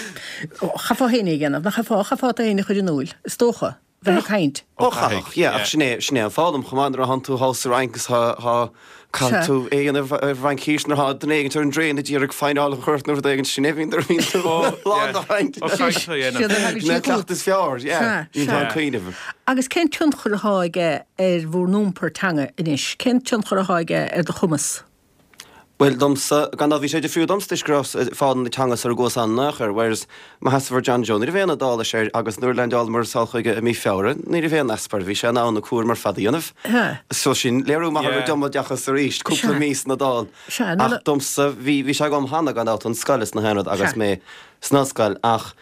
Chaithfeá féin é a dhéanamh, nach chaithfeá, chaithfeá tú féin a chur in iúl, is dócha, bheith ag caint. Ó chaithfeadh, yeah, ach sin é, sin é an foghlaim chomh maith nuair a thánn tú thall sa Fhrainc agus thá, thá, caithfidh Sea. tú é a dhéanamh ar Fhraincis nuair atá duine éigin ar an dtraein ag iarraidh foighneáil a chur ort nó rud éigin, sin é bhíonn nuair a bhíonn tú lán de chaint. Ó, caint a dhéanamh. Siad a thagann Sin é siad an cleachtadh is fearr, yeah. Sea, Bíonn tú sea. ag cuimhneamh. Agus cén tionchar atá aige ar bhur n-iompar teanga anois? Cén tionchar atá aige ar do chumas? Bhuel, domsa, gan dabht bhí sé difriúil domsa toisc go rabhas ag foghlaim na teanga sara gcuas ann in aon chor, whereas mo sheasamh ar John Joe, ní raibh aon Iodáilis air agus nuair a leaindeálamar sall chuige i mí Feabhra, ní raibh aon easpa air, bhí sé in ann a cúram ar fad a dhéanamh. Sea. So sin léiriú maith ar Yeah. an tumoideachas arís, cúpla Sea. mí san Iodáil. Sea, nó Ach le- domsa, bhí, bhí sé agam cheana gan dabht ón scoil is na haon rud agus Sea. mé san ollscoil ach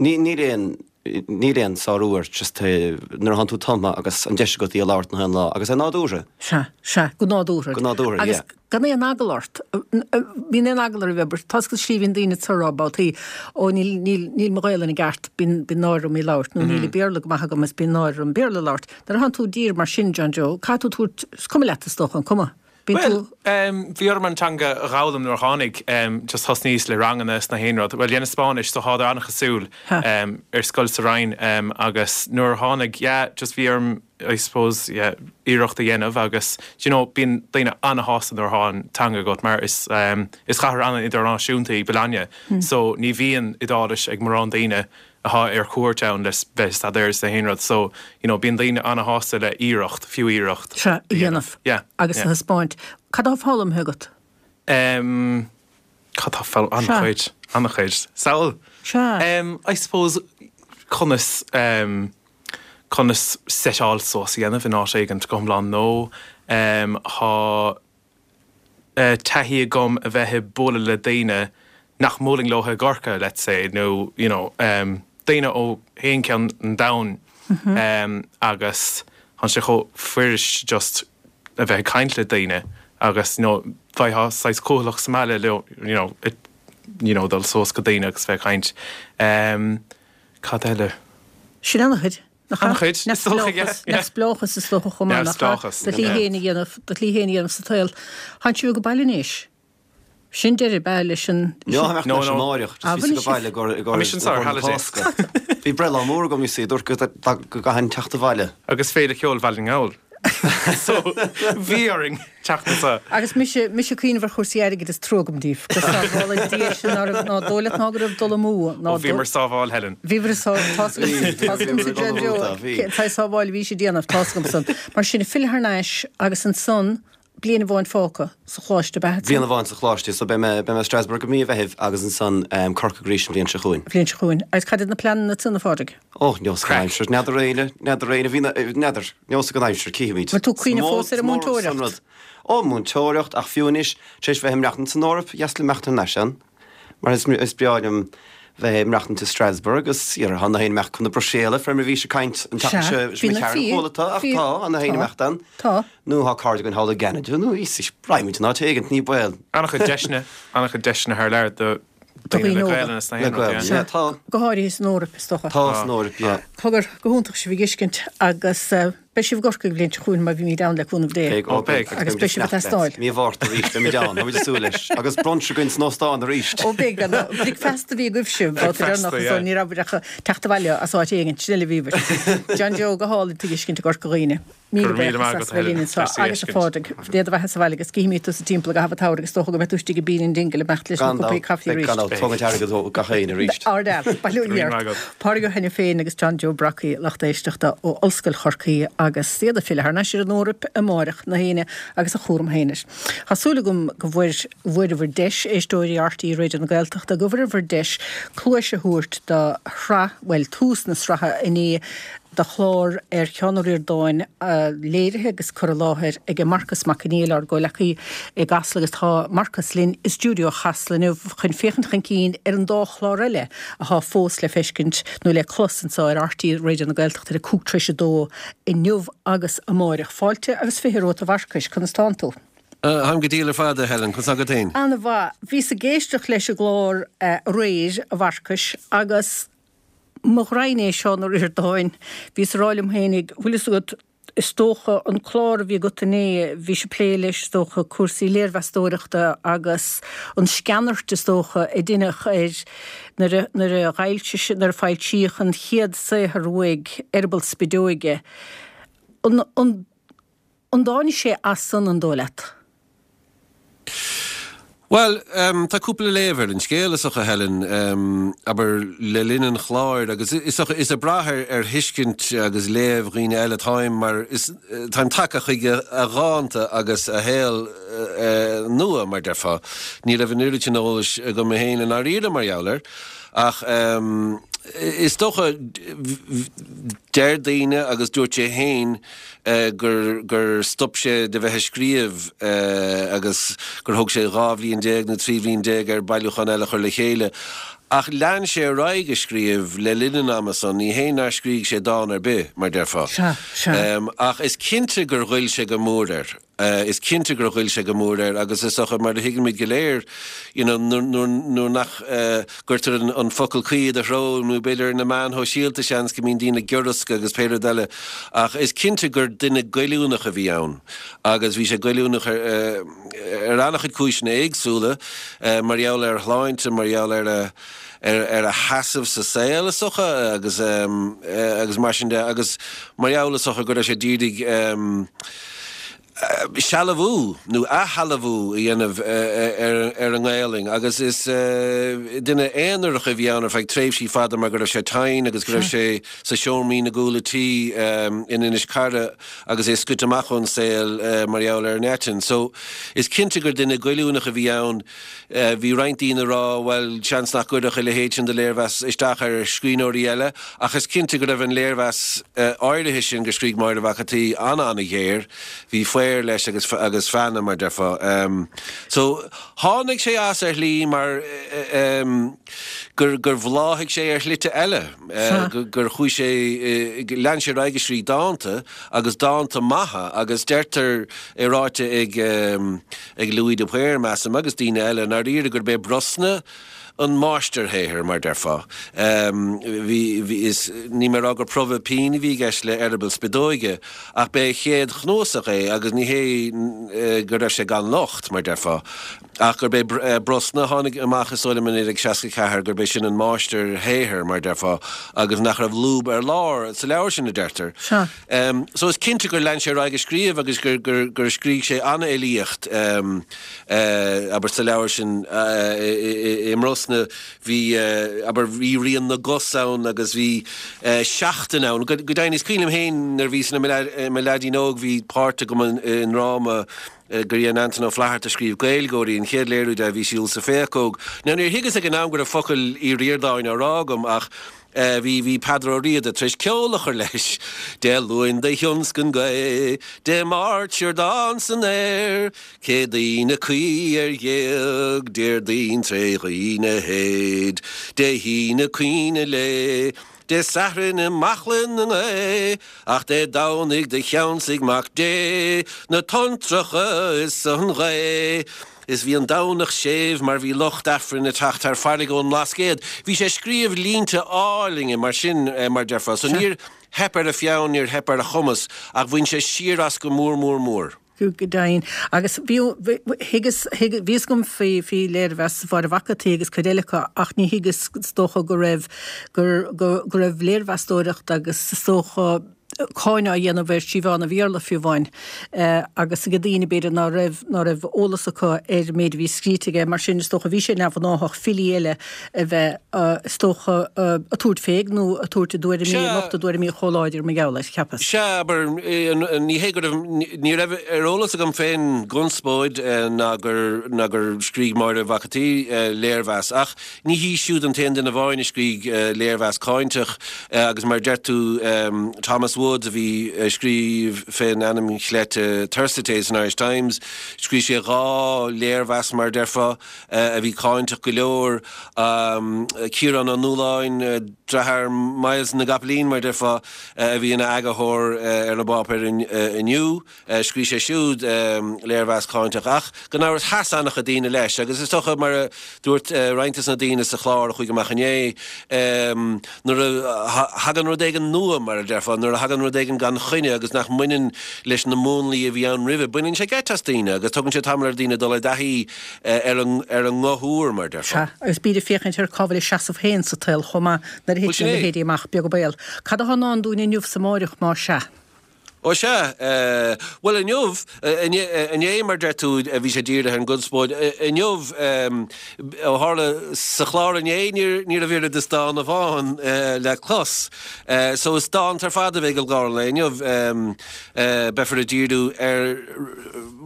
ní, níl aon, níl aon sárú air just nuair a thánn tú tumtha agus an deis agat í a labhairt na haon lá agus é nádúrtha. Sea, sea, go nádúrtha. Go nádúrtha, Agus yeah. gan aon eagla ort. Bíonn aon eagla ar bith, tá go slí bhíonn daoine ag rá babhtaí, ó níl, níl, níl mo Ghaelainn i gceart, bíonn, bíonn náire orm í labhairt, nó níl an Béarla go maith agam is bíonn náire orm Béarla labhairt. Nuair a thánn tú i dtír mar sin, John Joe, caithfidh tú tabhairt, is cuma leat is dócha an cuma. Bíonn Well, tú, um, bhí orm an teanga a dh'fhoghlaim nuair a tháinig, um, just thosnaíos le ranganna is na haon rud. Well, dhéanas Spáinnis, so thádar an-chosúil Ha. um, ar scoil sa Rinn, um, agus nuair a tháinig, yeah, just bhí orm, I suppose, yeah, iarracht a dhéanamh agus, do you know, bíonn daoine ana-shásta nuair atá an teanga agat mar is, um, is cathair an-idirnáisiúnta í Bologna. Hmm. So ní bhíonn Iodáilis ag mórán daoine atá ar cuairt ann le bheith staidéar is na haon rud. So, you know, bíonn daoine ana-shásta le iarracht, fiú iarracht. sea, a dhéanamh. Yeah, Agus yeah. a thaispeáint. Cad atá foghlamtha agat? Um, Cad tá fel an-chuid, an-chuid. Saol. Sea. Um, I suppose conas um, conas seteáil suas a dhéanamh in áit éigin go hiomlán nó um, thá uh, taithí agam a bheith ag bualadh le daoine nach mbuailim leo i gCorcaigh, let's say, nó you know, um, daoine ó haon ceann an domhain um, agus thá sé chomh fuirist just a bheith ag caint le daoine agus you know, bheifeá saghas cúthalach sa mbaile leo, you know, it, you know, dul suas go daoine agus bheith ag caint. Um, cad eile? Sin an-chuid. An-chuid, is dócha, yeah, yeah. Neamhspleáchas is dócha chomh maith, nach ea? Neamhspleáchas, Do shlí yeah. féin a dhéanamh, do shlí féin a dhéanamh sa tsaol. Tánn sibh go baile anois. Sin deireadh be leis an... No, no, No, no. no. Máireach, Ah, just bhí bhfuil go baile gur Tá mise anseo ar holiday. Bhí breithlá mór agam you see, dúirt go go gcaithfinn teacht abhaile. Agus Féile Ceoil Bhaile na nGall. So bhí orainn teacht anseo. Agus mise mise ag cuimhneamh ar chúrsaí airgid is trua agam daoibh, gur sábháil Dia sin ná raibh- ná dóigh leat ná go raibh dul amú ná Ó bhíomar sábháil Helen. Bhíobhair tá Bhí, bhí, bhí. sábháil bhí sé déanamh tá agam san. Mar sin filleadh thar n-ais agus ansan Bliain amháin fágtha sa choláiste ab ea? Bliain amháin sa choláiste, so beidh mé beidh mé i Strasbourg i mí an Mheithimh agus ansan Corcaigh arís an bhliain seo chugainn. Bhliain seo chugainn. Agus cad iad na pleananna ansan, a Phádraig? Ó, neosfaidh an aimsir. N'fheadar éinne, n'fheadar éinne, bhí na, n'fheadar, neosfaidh an aimsir, cífimid. Bhfuil tú ag cuimhneamh fós ar an múinteoireacht? Ó, múinteoireacht, ach fiú anois, tar éis bheith ag maireachtaint san Eoraip, dheas liom imeacht thar n-ais ann. Mar is is breá liom bheith ag maireachtaint i Strasbourg agus tá na héinne imeacht chun na Bruiséile fé mar a bhís ag caint an tseachtain seo Sea, bhí na cearn chuala tá ach tá tá na héinne imeacht ann. Tá. Nó tá cairde againn thall i gCeanada nó is raghaimid in áit éigint ní baol. An-chuid deiseanna, an-chuid deiseanna thar lear do daoine le óga. Gaelainn sna Le hÉireann, Gaelainn, yeah. yeah, tá. Go háirithe san Eoraip is dócha. Tá san Eoraip, yeah. Cogar, go hiontach sibh a fheiscint agus beidh sibh i gCorcaigh an bhliain seo chugainn má bhímid ann le cúnamh Dé. Beidh, ó beidh. Agus beidh sibh ag teastáil. Mí Mhárta arís, beimid ann, táimid ag súil leis. Agus brunch againn san óstán arís. Ó beidh, gan dabht. Bricfeasta a bhí agaibhse, babhta deireanach, so ní raibh ach teacht abhaile as áit éigin, sin uile a bhíobhair. John Joe, go hálainn tú a fheiscint i gCorca Dhuibhne. Míle Go raibh míle buíochas maith as agat, bheith linn Helen. anseo Deas í agus a fheiscint. Phádraig, Dé do bheatha sa bhaile agus cífimid tusa timpeall i gcaitheamh an tsamhraidh agus is dócha go mbeidh tú istigh i Bean in Dingle ag imeacht leis na Gan cúpaí dabht, caife beidh arís. gan dabht, tógaint airgead ó gach éinne arís. Ard-fhear, bail ó Go raibh míle Dhia maith ort. agat. Pádraig Ó hAiniféin agus John Joe Brockie, lucht éisteachta ó Ollscoil Chorcaí agus iad ag filleadh thar n-ais ar an Eoraip amáireach na hAoine agus a chúram féin air. Tá súil agam go bhfuair bhfuaireabhair deis éisteoirí R T É Raidió na Gaeltachta go bhfuaireabhair deis cluais a thabhairt do shraith, bhuel tús na sraithe inné de chlár ar Sheán Ó Ríordáin léirithe agus cur i láthair ag Marcas Mac Conghail ár gcomhleacaí i gCasla agus tá Marcas linn i stiúideo Chasla inniu chun féachaint chun cinn ar an dá chlár eile atá fós le feiscint nó le clos anseo ar R T É Raidió na Gaeltachta ar a cúig tar éis a dó inniu agus amáireach. Fáilte agus fiche romhat a Mharcais, conas tánn tú? Táim go diail ar fad a Helen, conas agat féin? An-mhaith. Bhíos ag éisteacht leis an gclár aréir a Mharcais agus mo ghraidhin é Seán Ó Ríordáin, bhíos ag rá liom féinig, bhfuil fhios agat, is dócha an clár a bhí agat inné, bhís ag plé leis, is dócha, cúrsaí léirmheastóireachta agus an sceanairt is dócha a deineadh air nuair a, nuair a dh'fhoilsigh, nuair a foilsíodh an chéad saothar uaidh, Eireaball Spideoige. An, an, an dtáinig sé as san an dóigh leat? Bhuel, tá cúpla léamh ar an scéal is dócha, Helen, abair, le linn an chláir agus is dócha, is ag brath ar thuiscint agus léamh dhaoine eile atáim mar is táim tagtha chuig a dhánta agus a shaol nua, mar déarfá. Ní raibh an oiread sin eolais agam féin i ndáiríre mar gheall air ach is dócha, deir daoine agus dúirt sé féin gur gur stop sé de bheith ag scríobh agus gur thóg sé dhá bhliain déag nó trí bhliain déag air bailiúchán eile a chur le chéile. Ach lean sé ar aghaidh ag scríobh le linn an ama san, ní hé nár scrígh sé dán ar bith, mar déarfá. Sea, sea. Ach is cinnte gur ghoill sé go mór air. Is cinnte gur ghoill sé go mór air agus is dócha, mar a thuigimid go léir, you know, nuair nuair nach gcuirtear an focal cuí i do threo nó b'fhéidir ar na meáin shóisialta seans go mbíonn daoine giorrasctha agus pé rud eile ach is cinnte gur duine goilliúnach a bhí ann agus bhí sé goilliúnach ar ar an-chuid cúiseanna éagsúla mar gheall ar a shláinte, mar gheall ar a ar a sheasamh sa saol is dócha agus agus mar sin de agus mar gheall is dócha go raibh sé d'iarraidh sealbhú nó athshealbhú a dhéanamh ar an nGaelainn agus is duine aonarach a bhí ann ar feadh tréimhsí fada mar go raibh sé tinn agus go raibh sé sa seoimrín i gcúl a tí in Inis Cara agus é scoite amach ón saol mar gheall ar an eitinn. So is cinnte gur duine goilliúnach a bhí ann. Bhí roinnt daoine ag rá, bhuel, seans nach gcuirfeadh a leithéid sin de léirmheas isteach ar scríbhneoirí eile, ach is cinnte go raibh an léirmheas áirithe sin go scrígh Máire Mhac an tSaoi an-an-ghéar. Bhí faobhar leis agus agus feannadh, mar déarfá. So, tháinig sé as ar shlí mar gur gur bhláthaigh sé ar shlite eile, gur chuaigh sé, lean sé ar aghaidh ag scríobh dánta agus dánta maithe agus deirtear, é ráite ag ag Louis de Paor, measaim, agus daoine eile, i ndáiríre gurb é Brosna an máistirshaothar, mar déarfá. Bhí, bhí, is, níl mé ag rá gur promhadh pinn a bhí i gceist le Eireaball Spideoige, ach b'é a chéad chnuasach é agus ní hé go raibh sé gan locht, mar déarfá, ach gurb é Brosna, a tháinig amach is dóigh liom i naoi déag seasca ceathair, gurb é sin an máistirshaothar, mar déarfá, agus nach raibh lúb ar lár sa leabhar sin, a deirtear. Sea. So is cinnte gur lean sé ar aghaidh ag scríobh agus gur, gur, gur scrígh sé an-fhilíocht, abair, sa leabhar sin i mBrosna. osna, bhí, abair, bhí rian na gcos ann agus bhí seachtain ann. Go deimhin, is cuimhin liom féin nuair a bhíos i mo leaidín óg bhí páirt agam i ndráma gur dhein Antain Ó Flatharta a scríobh, Gaeilgeoirí, an chéad léiriú de a bhí siúl sa Phéacóg. Now níor thuigeas ag an am go raibh focail Uí Ríordáin á rá agam ach bhí bhí Peadar Ó Riada tar éis ceol a chur leis, Dé Luain do thionscain gaoth, Dé Máirt siordán san aer, Céadaoin a caoi ar ghéag, Déardaoin tré dhaoine théid, Dé hAoine caoineadh lae, Dé Sathairn i mbaicle na ngaoth, Ach Dé Domhnaigh do cheansaigh Mac Dé na tonntracha is an ghaoth. Is bhí an Domhnach séimh mar bhí lucht Aifrinn ag teacht thar farraige ón mBlascaod. Bhí sé ag scríobh línte álainne mar sin, mar déarfá. So níor theip ar a pheann, níor theip ar a chumas, ach bhain sé siar as go mór mór mór. Go deimhin. Agus bhí, thuigeas, bhí fhios agam faoi, faoi léirmheas Mháire Mhac an tSaoi agus cuid eile acu ach ní thuigeas, is dócha, go raibh, gur, go, go raibh léirmheastóireacht agus is dócha, cáineadh á dhéanamh ar trí mheán an Bhéarla fiú amháin agus ag daoine b'fhéidir ná raibh ná raibh eolas acu ar an méid a bhí scríte aige. Mar sin is dócha bhí sé neamhghnáthach filí eile a bheith is dócha ag tabhairt fé nó ag tabhairt a dtuairimí ag nochtadh a dtuairimí chomh láidir mar gheall air, cheapas. Sea, abair, ní hé go raibh, ní raibh ar eolas agam fén gconspóid ná gur ná gur scrígh Máire Mhac an tSaoi léirmheas ach ní hí siúd an t-aon duine amháin a scrígh léirmheas cáinteach agus mar a deir tú Thomas Woods a bhí ag scríobh fén ainm chleite Thersites san Irish Times, scrígh sé dhá léirmheas mar a déarfá a bhí cáinteach go leor. Ciarán Ó Nualláin, deartháir Myles na gCopaleen mar a déarfá, a bhí ina eagarthóir ar an bpáipéar Inniu. Scrígh sé siúd léirmheas cáinteach ach gan amhras sheas an-chuid daoine leis agus is dócha mar a dúirt roinnt des na daoine sa chlár a chuaigh amach inné, nuair a thagann rud éigin nua mar a déarfá, nuair a thagann rud éigin gan choinne agus nach mbaineann leis na múnlaí a bhí ann roimhe, baineann sé geit as daoine agus tugann sé tamall ar dhaoine dul i dtaithí ar an nguth úr mar a déarfá. Sea, agus bíd ag féachaint ar cá bhfuil a seasamh féin sa tsaol chomh maith nuair a Bhuel thiteann sin a é. leithéidí amach, beag an baol. Cad atá i ndán dúinn inniu 's amáireach más ea? Ó sea, bhuel inniu, inné mar deir tú bhí sé dírithe ar an gconspóid, inniu, ó tharla sa chlár inné ní raibh oiread is dán amháin le clos. So is dánta ar fad a bheidh i gclár an lae inniu. Beifear ag díriú ar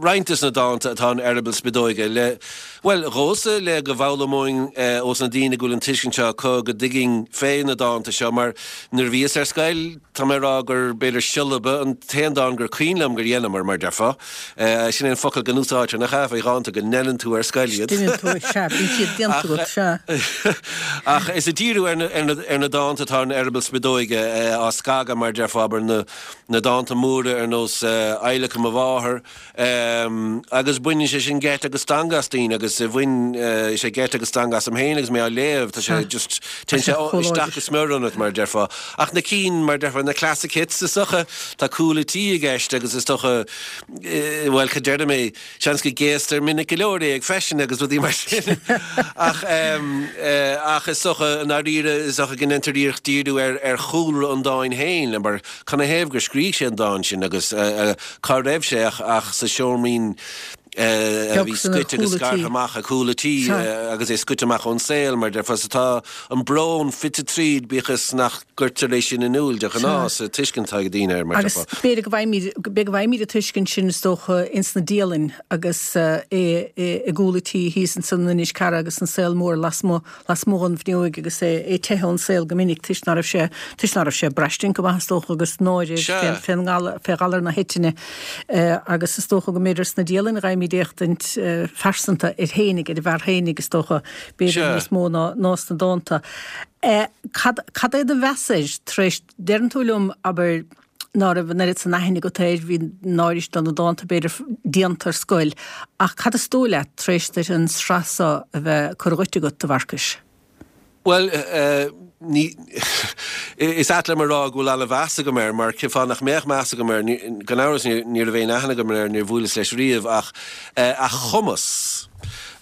roinnt des na dánta atá in Eireaball Spideoige le, bhuel, dhomsa le go bhfoghlaimeoinn ós na daoine go bhfuil an tuiscint seo acu go dtuigfinn fé na dánta seo mar nuair a bhíos ar scoil, Tá mé ag rá gur b'fhéidir Siollabadh an t-aon dán gur cuimhin liom gur dheineamar, mar déarfá. Sin é an focal go n-úsáidtear, nach ea, faoi dhánta, go ndeineann tú ar scoil iad. Deineann tú, sea, bíonn siad déanta agat, sea. Ach is ag díriú ar na dánta atá in Eireaball Spideoige á scagadh, mar déarfá, abair, na dánta móra ar nós Adhlacadh Mo Mháthar, Agus baineann sé sin geit agus stangadh as daoine agus bhain sé geit agus stangadh asam féin agus mé á léamh, tá sé just, téann sé isteach go smior ionat mar a déarfá. Ach na cinn, mar a déarfá, na classic hits is dócha, tá Cúl a' Tí i gceist agus is dócha, bhuel, cad déarfaidh mé, seans go gcéastar minic go leor é ag feiseanna agus rudaí mar sin. Ach, ach is dócha, i ndáiríre, is dócha go ndéantar iarracht díriú ar, ar chúlra an dáin féin, mar canathaobh gur scrígh sé an dán sin agus cá raibh sé ach sa seoimrín a bhí scoite agus scartha amach ag cúl a' tí agus é scoite amach ón saol, mar déarfá. So tá an brón fite tríd, bíodh is nach gcuirtear é sin in iúl de ghnáth sa tuiscint atá ag daoine air, mar Agus déarfá. b'fhéidir go bhfaighimid, b'fhéidir go bhfaighimid an tuiscint sin is dócha ins na dialanna agus é i gcúl a' tí thíos ansan in Inis Cara agus an saol mór lasmuigh lasmuigh den bhfuinneoig agus é ag teitheadh ón saol go minic toisc ná raibh sé toisc ná raibh sé ag braistint go maith is dócha agus náire Sea. fén ngalar fé ghalar na heitinne agus is dócha go mb'fhéidir sna dialanna a gheibhimid éachtaint phearsanta air fhéinig ar an bhfear fhéinig is dócha b'fhéidir Sea. níos mó ná ná sna dánta. Cad cad é do mheas air tar éis deireann tú liom abair ná raibh an oiread san aithne agat air, bhí náire do na dánta b'fhéidir déanta ar scoil, ach cad is dóigh leat tar éis duit an tsraith seo a bheith curtha dhuit agat, a Mharcais? Bhuel, ní, is ait liom a rá go bhfuil an-mheas agam air, mar cén fáth nach mbeadh meas agam air, gan amhras ní raibh aon aithne agam air, níor bhuaileas leis riamh, ach a chumas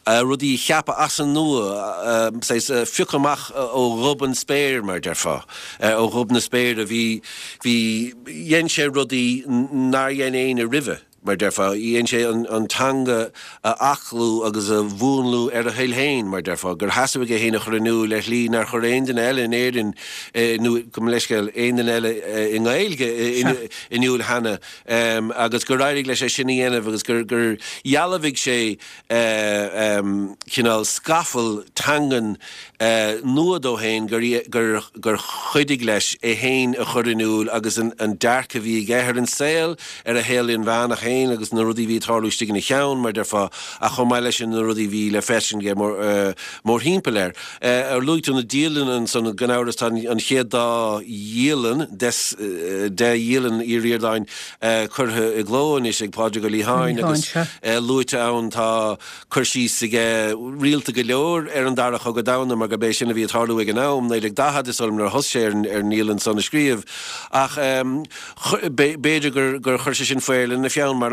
rudaí a cheapadh as an nua, saghas phiocadh amach ó ghob an spéir, mar a déarfá, ó ghob na spéire, bhí, bhí, dhein sé rudaí nár dhein éinne roimhe. mar déarfá. Dhein sé an teanga a aclú agus a mhúnlú ar a thoil féin, mar déarfá, gur theastaigh uaidh é féin a chur in iúl ar shlí nár chuir aon duine eile in Éirinn, nó gabh mo leithscéal, aon duine eile i nGaeilge in iúl cheana, agus gur éirigh leis é sin a dhéanamh agus gur dhealbhaigh sé cineál scafall teangan nua dó féin gur chuidigh leis é féin a chur in iúl agus an dearcadh a bhí aige ar an saol, ar a shaol inmheánach féin agus na rudaí a bhí ag tarlú istigh ina cheann, mar déarfá, ach chomh maith leis sin na rudaí a bhí le feiscint aige mórthimpeall air. Ar luaigh tú na dialanna ansan, gan amhras tá an chéad dá dhialann des de dhialanna Uí Ríordáin curtha i gcló anois ag Pádraig Ó Liatháin agus luaite ann tá cur síos aige rialta go leor ar an Dara Cogadh Domhanda mar gurb é sin a bhí ag tarlú ag an am, naoi déag daichead is dóigh liom nuair a thosaigh sé ar an ndialann san a scríobh. Ach b'fhéidir gur chuir sé sin faobhar lena pheann mar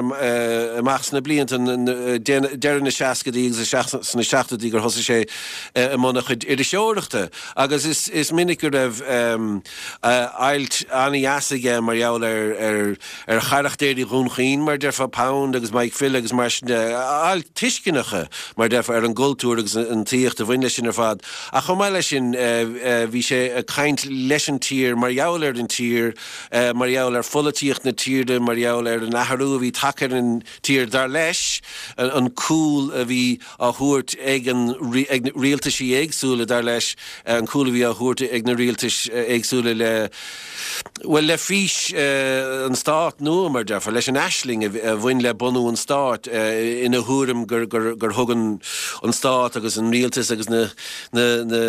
amach sna blianta deireadh na seascaidí agus sna seachtóidí gur thosaigh sé i mbun a chuid iriseoireachta agus is minic go raibh ailt an-dheas aige mar gheall ar ar charachtéirí Dhún Chaoin, mar déarfá, Pound agus Mike Phil agus mar sin de, ailt tuisceanacha, mar déarfá, ar an gcultúr agus an tsaíocht a bhain leis sin ar fad. Ach chomh maith leis sin, bhí sé ag caint leis an tír mar gheall ar an tír, mar gheall ar pholaitíocht na tíre, mar gheall ar an athrú a bhí tagtha ar an tír, dar leis, an cúl a bhí á thabhairt ag an, ag rialtaisí éagsúla, dar leis, an cúl a bhí á thabhairt ag na rialtais éagsúla le, bhuel, le fís an Stát nua, mar déarfá, leis an aisling a bhain le bunú an Stáit, ina thuairim gur, gur, gur thug an, an Stát agus an rialtas agus na, na, na,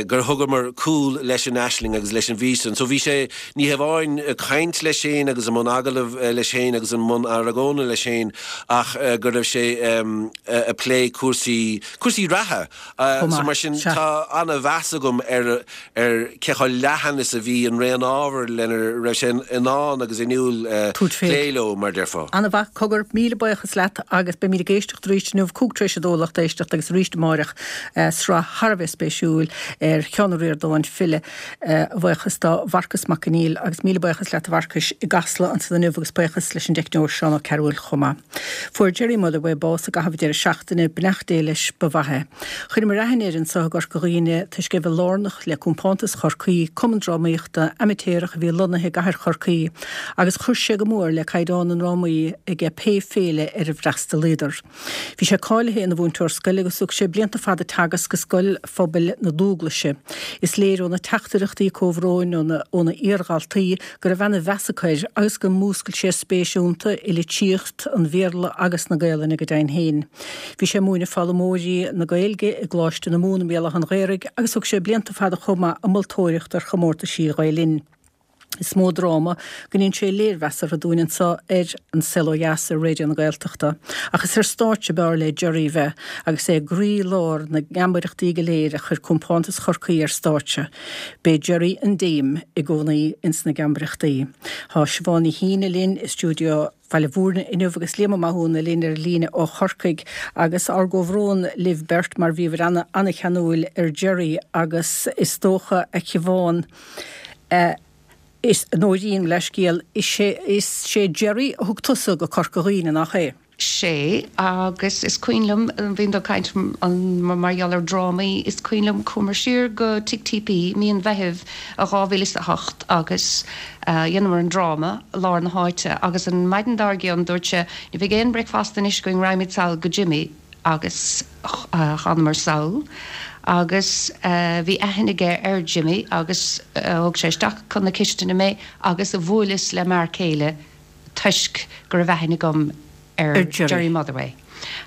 gur thugamar cúl leis an aisling agus leis an bhfís san. So bhí sé, ní hamháin ag caint leis féin agus i mbun agallamh leis féin agus i mbun argóna leis féin ach go raibh sé ag plé cúrsaí, cúrsaí reatha. So mar sin tá an-mheas agam ar ar cé chomh leathan is a bhí an raon ábhar lena raibh sé in ann agus inniúil plé leo, mar déarfá. An-mhaith, cogar, míle buíochas leat agus beimid ag éisteacht arís inniu, cúig tar éis a dó lucht éisteachta agus arís amáireach, sraith thar a bheith spéisiúil ar Sheán Ó Ríordáin, file, a bhuíochas do Mharcas Mac Conghail agus míle buíochas leat a Mharcais i gCasla ansan inniu agus buíochas leis an dteicneoir Seán Ó Cearúil chomh maith. Fuair Gerry Motherway bás i gcaitheamh an deireadh seachtaine, beannacht Dé leis, ba mhaith é. Chuireamar aithne air anso i gCorca Dhuibhne toisc é bheith lárnach le Compántas Chorcaí, cumann drámaíochta amaitéarach a bhí lonnaithe i gcathair Chorcaí, agus chuir sé go mór le caighdeán na ndrámaí aige pé féile ar ar fhreastalaíodar. Bhí sé cáilithe ina mhúinteoir scoile agus thug sé blianta fada teagasc i Scoil Phobail na Dúglaise. Is léir ó na teachtaireachtaí comhbhróin óna iardhaltaí go raibh ana-mheas acu air agus gur mhúscail sé spéis iontu i litríocht an Bhéarla agus na Gaelainne go deimhin féin. Bhí sé ag múineadh foghlaimeoirí na Gaeilge i gColáiste na Mumhan i mBéal Átha an Ghaorthaidh agus thug sé blianta fada chomh maith ag moltóireacht ar chomórtaisí Ghael Linn. Is mó dráma go ndein sé léirmheas orthu dúinn anso ar An Saol Ó Dheas ar Raidió na Gaeltachta. Ach is ar stáitse ab fhearr le Gerry bheith agus é i gcroí-lár na ngeamaireachtaí go léir a chuir Compántas Chorcaí ar stáitse. B'é Gerry an Dame i gcónaí ins na geamaireachtaí. Tá Siobhán Ní hÍne linn i stiúideo Bhaile Mhúirne inniu agus Liam Ó Mathúna linn ar líne ó Chorcaigh agus ár gcomhbhrón libh beirt mar bhíobhair ana ana-cheanúil ar Gerry agus is dócha a Shiobhán a is a Nóirín leithscéal is é is sé Gerry a thug tusa go Corca Dhuibhne nach é? Sé, agus is cuimhin liom, bhíonn tú ag caint mar gheall ar drámaí, is cuimhin liom chuamar siar go Tigh TP mí an Mheithimh i dhá mhíle is a hocht agus dheineamar an dráma, Lár na hÁite, agus an maidin dár gcionn dúirt sé, ní bheidh aon bricfeasta anois againn, raghaimid sall go Jimmy agus thánamar sall agus bhí aithne aige ar Jimmy agus thug sé isteach chun na cistine mé agus bhuaileas le m'fhear céile toisc go raibh aithne agam ar Gerry Motherway.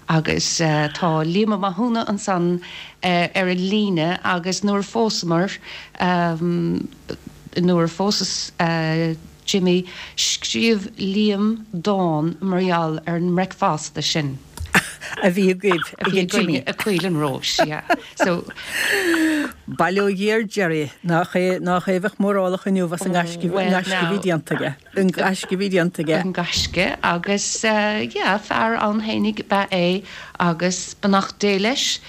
Agus tá Liam Ó Mathúna ansan ar an líne agus nuair a phósamar, nuair a phósas Jimmy, scríobh Liam dán mar gheall ar an mbreicfeasta sin. A bhí agaibh ag Jimmy. I gCoill an Róis, yeah. So. Bail ó Dhia ar Gerry, nach é, nach é a bheadh mórálach inniu as an ngaisce, an gaisce a bhí déanta aige. An gaisce a bhí déanta aige. An gaisce agus yeah, fear ann fhéinig ab ea é agus beannacht Dé leis.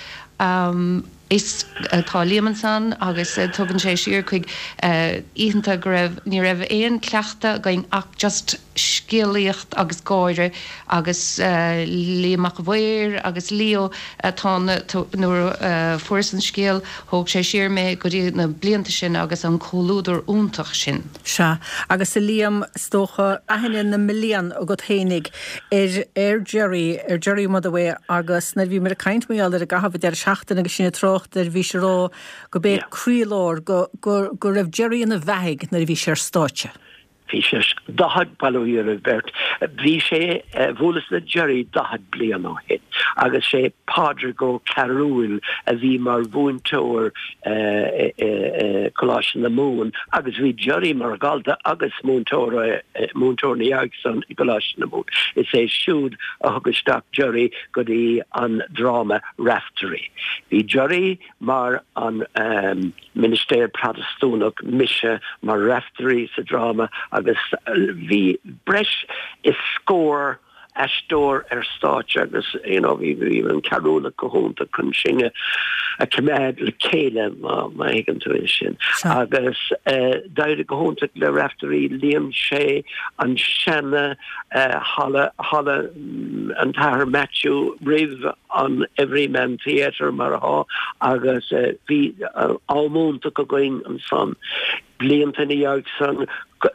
Is tá Liam ansan agus tugann sé siar chuig oícheanta go raibh, ní raibh aon cleachtadh againn ach just scéalaíocht agus gáire agus Liam Mac a' Mhaoir agus Leo atá nuair a fuaireas an scéal thóg sé siar mé go dtí na blianta sin agus an comhluadar iontach sin. Sea, agus a Liam, is dócha, aithne na mblian agat fhéinig ar ar Gerry, ar Gerry Motherway agus nuair a bhíomar ag caint mar gheall air i gcaitheamh an deireadh seachtaine agus sinn ag trácht air bhís ag rá go b'é croílár, go, go, go raibh Gerry ina bheathaidh nuair a bhí sé ar stáitse. Bhí sé daichead, bail ó Dhia ar an bheirt, bhí sé, bhuaileas le Gerry daichead bliain ó shin agus sé Pádraig Ó Cearúil a bhí mar mhúinteoir i Coláiste na Mumhan agus bhí Gerry mar dhalta agus múinteoir, múinteoir ina dhiaidh san i gColáiste na Mumhan. Is é siúd a thug isteach Gerry go dtí an dráma Raiftearaí. Bhí Gerry mar an ministéir Protastúnach, mise mar Raiftearaí sa dráma agus bhí breis is scór aisteoir ar stáitse agus you know bhí bhí an Cearúlach go hiontach chun sinn a choimeád le chéile má má thuigeann tú é sin. Agus d'éirigh go hiontach le Raiftearaí, líon sé an seana halla halla an tAthair Maitiú roimh an Everyman Theatre mar atá agus bhí am iontach againn ansan. Blianta ina dhiaidh san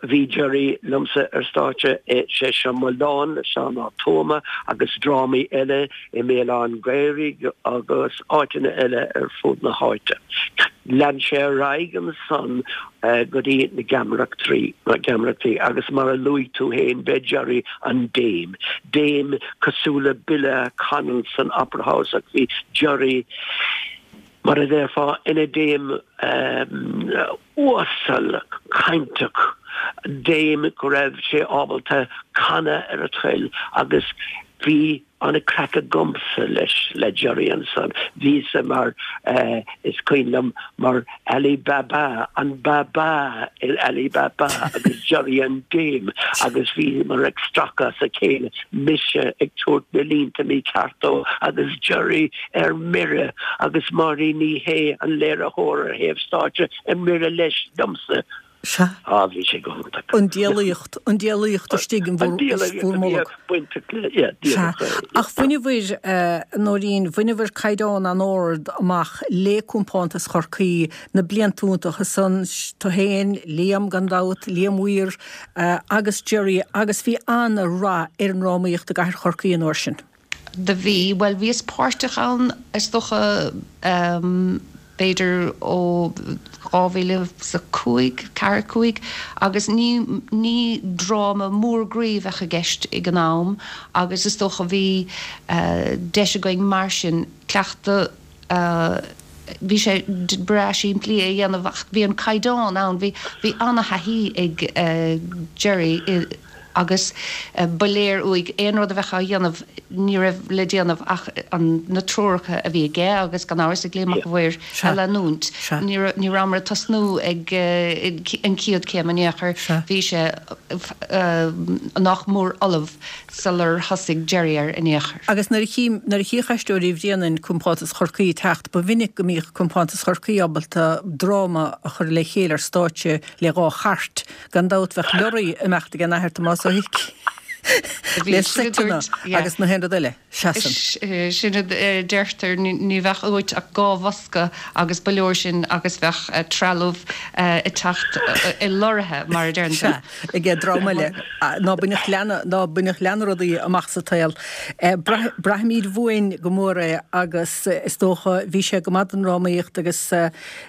bhí Gerry liomsa ar stáitse i Sé Seo Mo Leon le Seán Ó Tuama agus drámaí eile i mBéal Átha an Ghaorthaidh agus áiteanna eile ar fud na háite. Lean sé ar aghaidh ansan go dtí na geamaireachtaí, na geamaireachtaí agus mar a luaigh tú fhéin b'é Gerry an Dame. Dame cosúil le Billy Connell san Opera House ach bhí Gerry, mar a déarfá, ina Dame uasal cainteach, Dame go raibh sé ábalta canadh ar a thoil agus bhí an-chraic agamsa leis, le Gerry ansan. Bhíos-sa mar, is cuimhin liom, mar Ali Baba, an Baba in Ali Baba agus Gerry an Dame agus bhíomar ag stracadh as a chéile, mise ag tabhairt na línte mícheart dó agus Gerry ar mire agus Máirín Ní Shé, an léiritheoir ar thaobh stáitse, ar mire leis, liomsa. Sea. Á, bhí sé go hiontach. An diabhlaíocht, an diabhlaíocht istigh in bhur, bhur mbolg. Bainteach le, yeah, Sea. díreach é. Ach bhaineabhair, a Nóirín, bhaineabhair caighdeán an-ard amach le Compántas Chorcaí na blianta iontacha san, tú féin, Liam gan dabht, Liam Weir, agus Gerry, agus bhí an-rath ar an ndrámaíocht i gcathair Chorcaí an uair sin. Do bhí, bhuel, bhíos páirteach ann, is dócha, b'fhéidir ó dhá mhíle is a cúig, ceathair, cúig, agus ní, ní dráma mór groí a bheadh i gceist ag an am agus is dócha bhí deis againn mar sin cleachtadh a, bhí sé breá simplí é a dhéanamh ach bhí an caighdeán ann, bhí, bhí ana-thaithí ag Gerry i, agus ba léir uaidh aon rud a bheadh á dhéanamh ní raibh le déanamh ach na treoracha a bhí aige agus gan amhras ag Liam Mac a' Mhaoir a leanúint. Ní ní rabhamar ag tosnú ag an chéad chéim in aon chor, bhí sé nach mór ullamh sular thosaigh Gerry air in aon chor. Agus nuair a chí nuair a chíodh Aisteoirí Bhréanainn Compántas Chorcaí ag teacht ba mhinic go mbíodh Compántas Chorcaí ábalta dráma a chur le chéile ar stáitse le dhá chairt Gan dabht bheadh lorraí ag imeacht ag an Athair Tomás Ó hIcí le seiteanna agus na haon rud eile. Seasann. Sin a deirtear, ní bheadh uait ach dhá bhosca agus ba leor sin agus bheadh trealamh ag teacht i lorraithe, mar a deireann tú. Sea, ag an dream eile ná bainfeadh leanna, ná bainfeadh leanna rudaí amach sa tsaol. Braithimid uainn go mór é agus is dócha bhí sé go maith don drámaíocht agus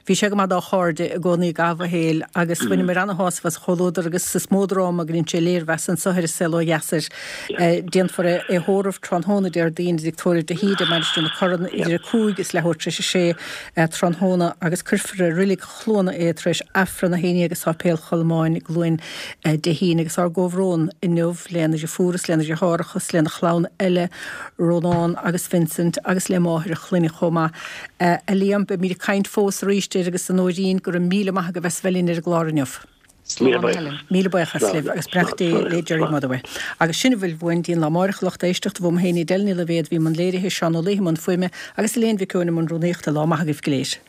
Bhí sé go maith dá chairde i gcónaí i gcaitheamh a shaoil agus bhaineamar ana-shásamh as a chomhluadar agus is mó dráma go ndein sé léirmheas anso ar An Saol Ó Dheas air. Déanfar é a thórramh tráthnóna Déardaoin i dTigh Tórraimh de hÍde i Mainistir na Corann idir a cúig is leathuair tar éis a sé tráthnóna agus cuirfear i Reilig Chluana é tar éis Aifreann a haon déag i Sáipéal Cholmáin i gCluain Dé hAoine agus ár gcomhbhrón inniu lena dheirfiúr is lena dheartháireacha is lena chlann eile, Rónán agus Vincent agus le máthair a chlainne chomh maith. A Liam, beimid ag caint fós arís air agus a Nóirín, go raibh míle maith agaibh as bheith linn ar an gclár inniu. Slán Helen. Míle buíochas libh agus beannacht Dé le Gerry Motherway. Agus sin a bhfuil uainn dtí'n lá amáireach, a lucht éisteachta, uaim féin Edel Ní Loibhéad, bhí i mbun léirithe, Seán Ó Laoithe i mbun fuaime agus Elaine Mhic Eoin i mbun rúnaíochta. Lá maith agaibh go léir.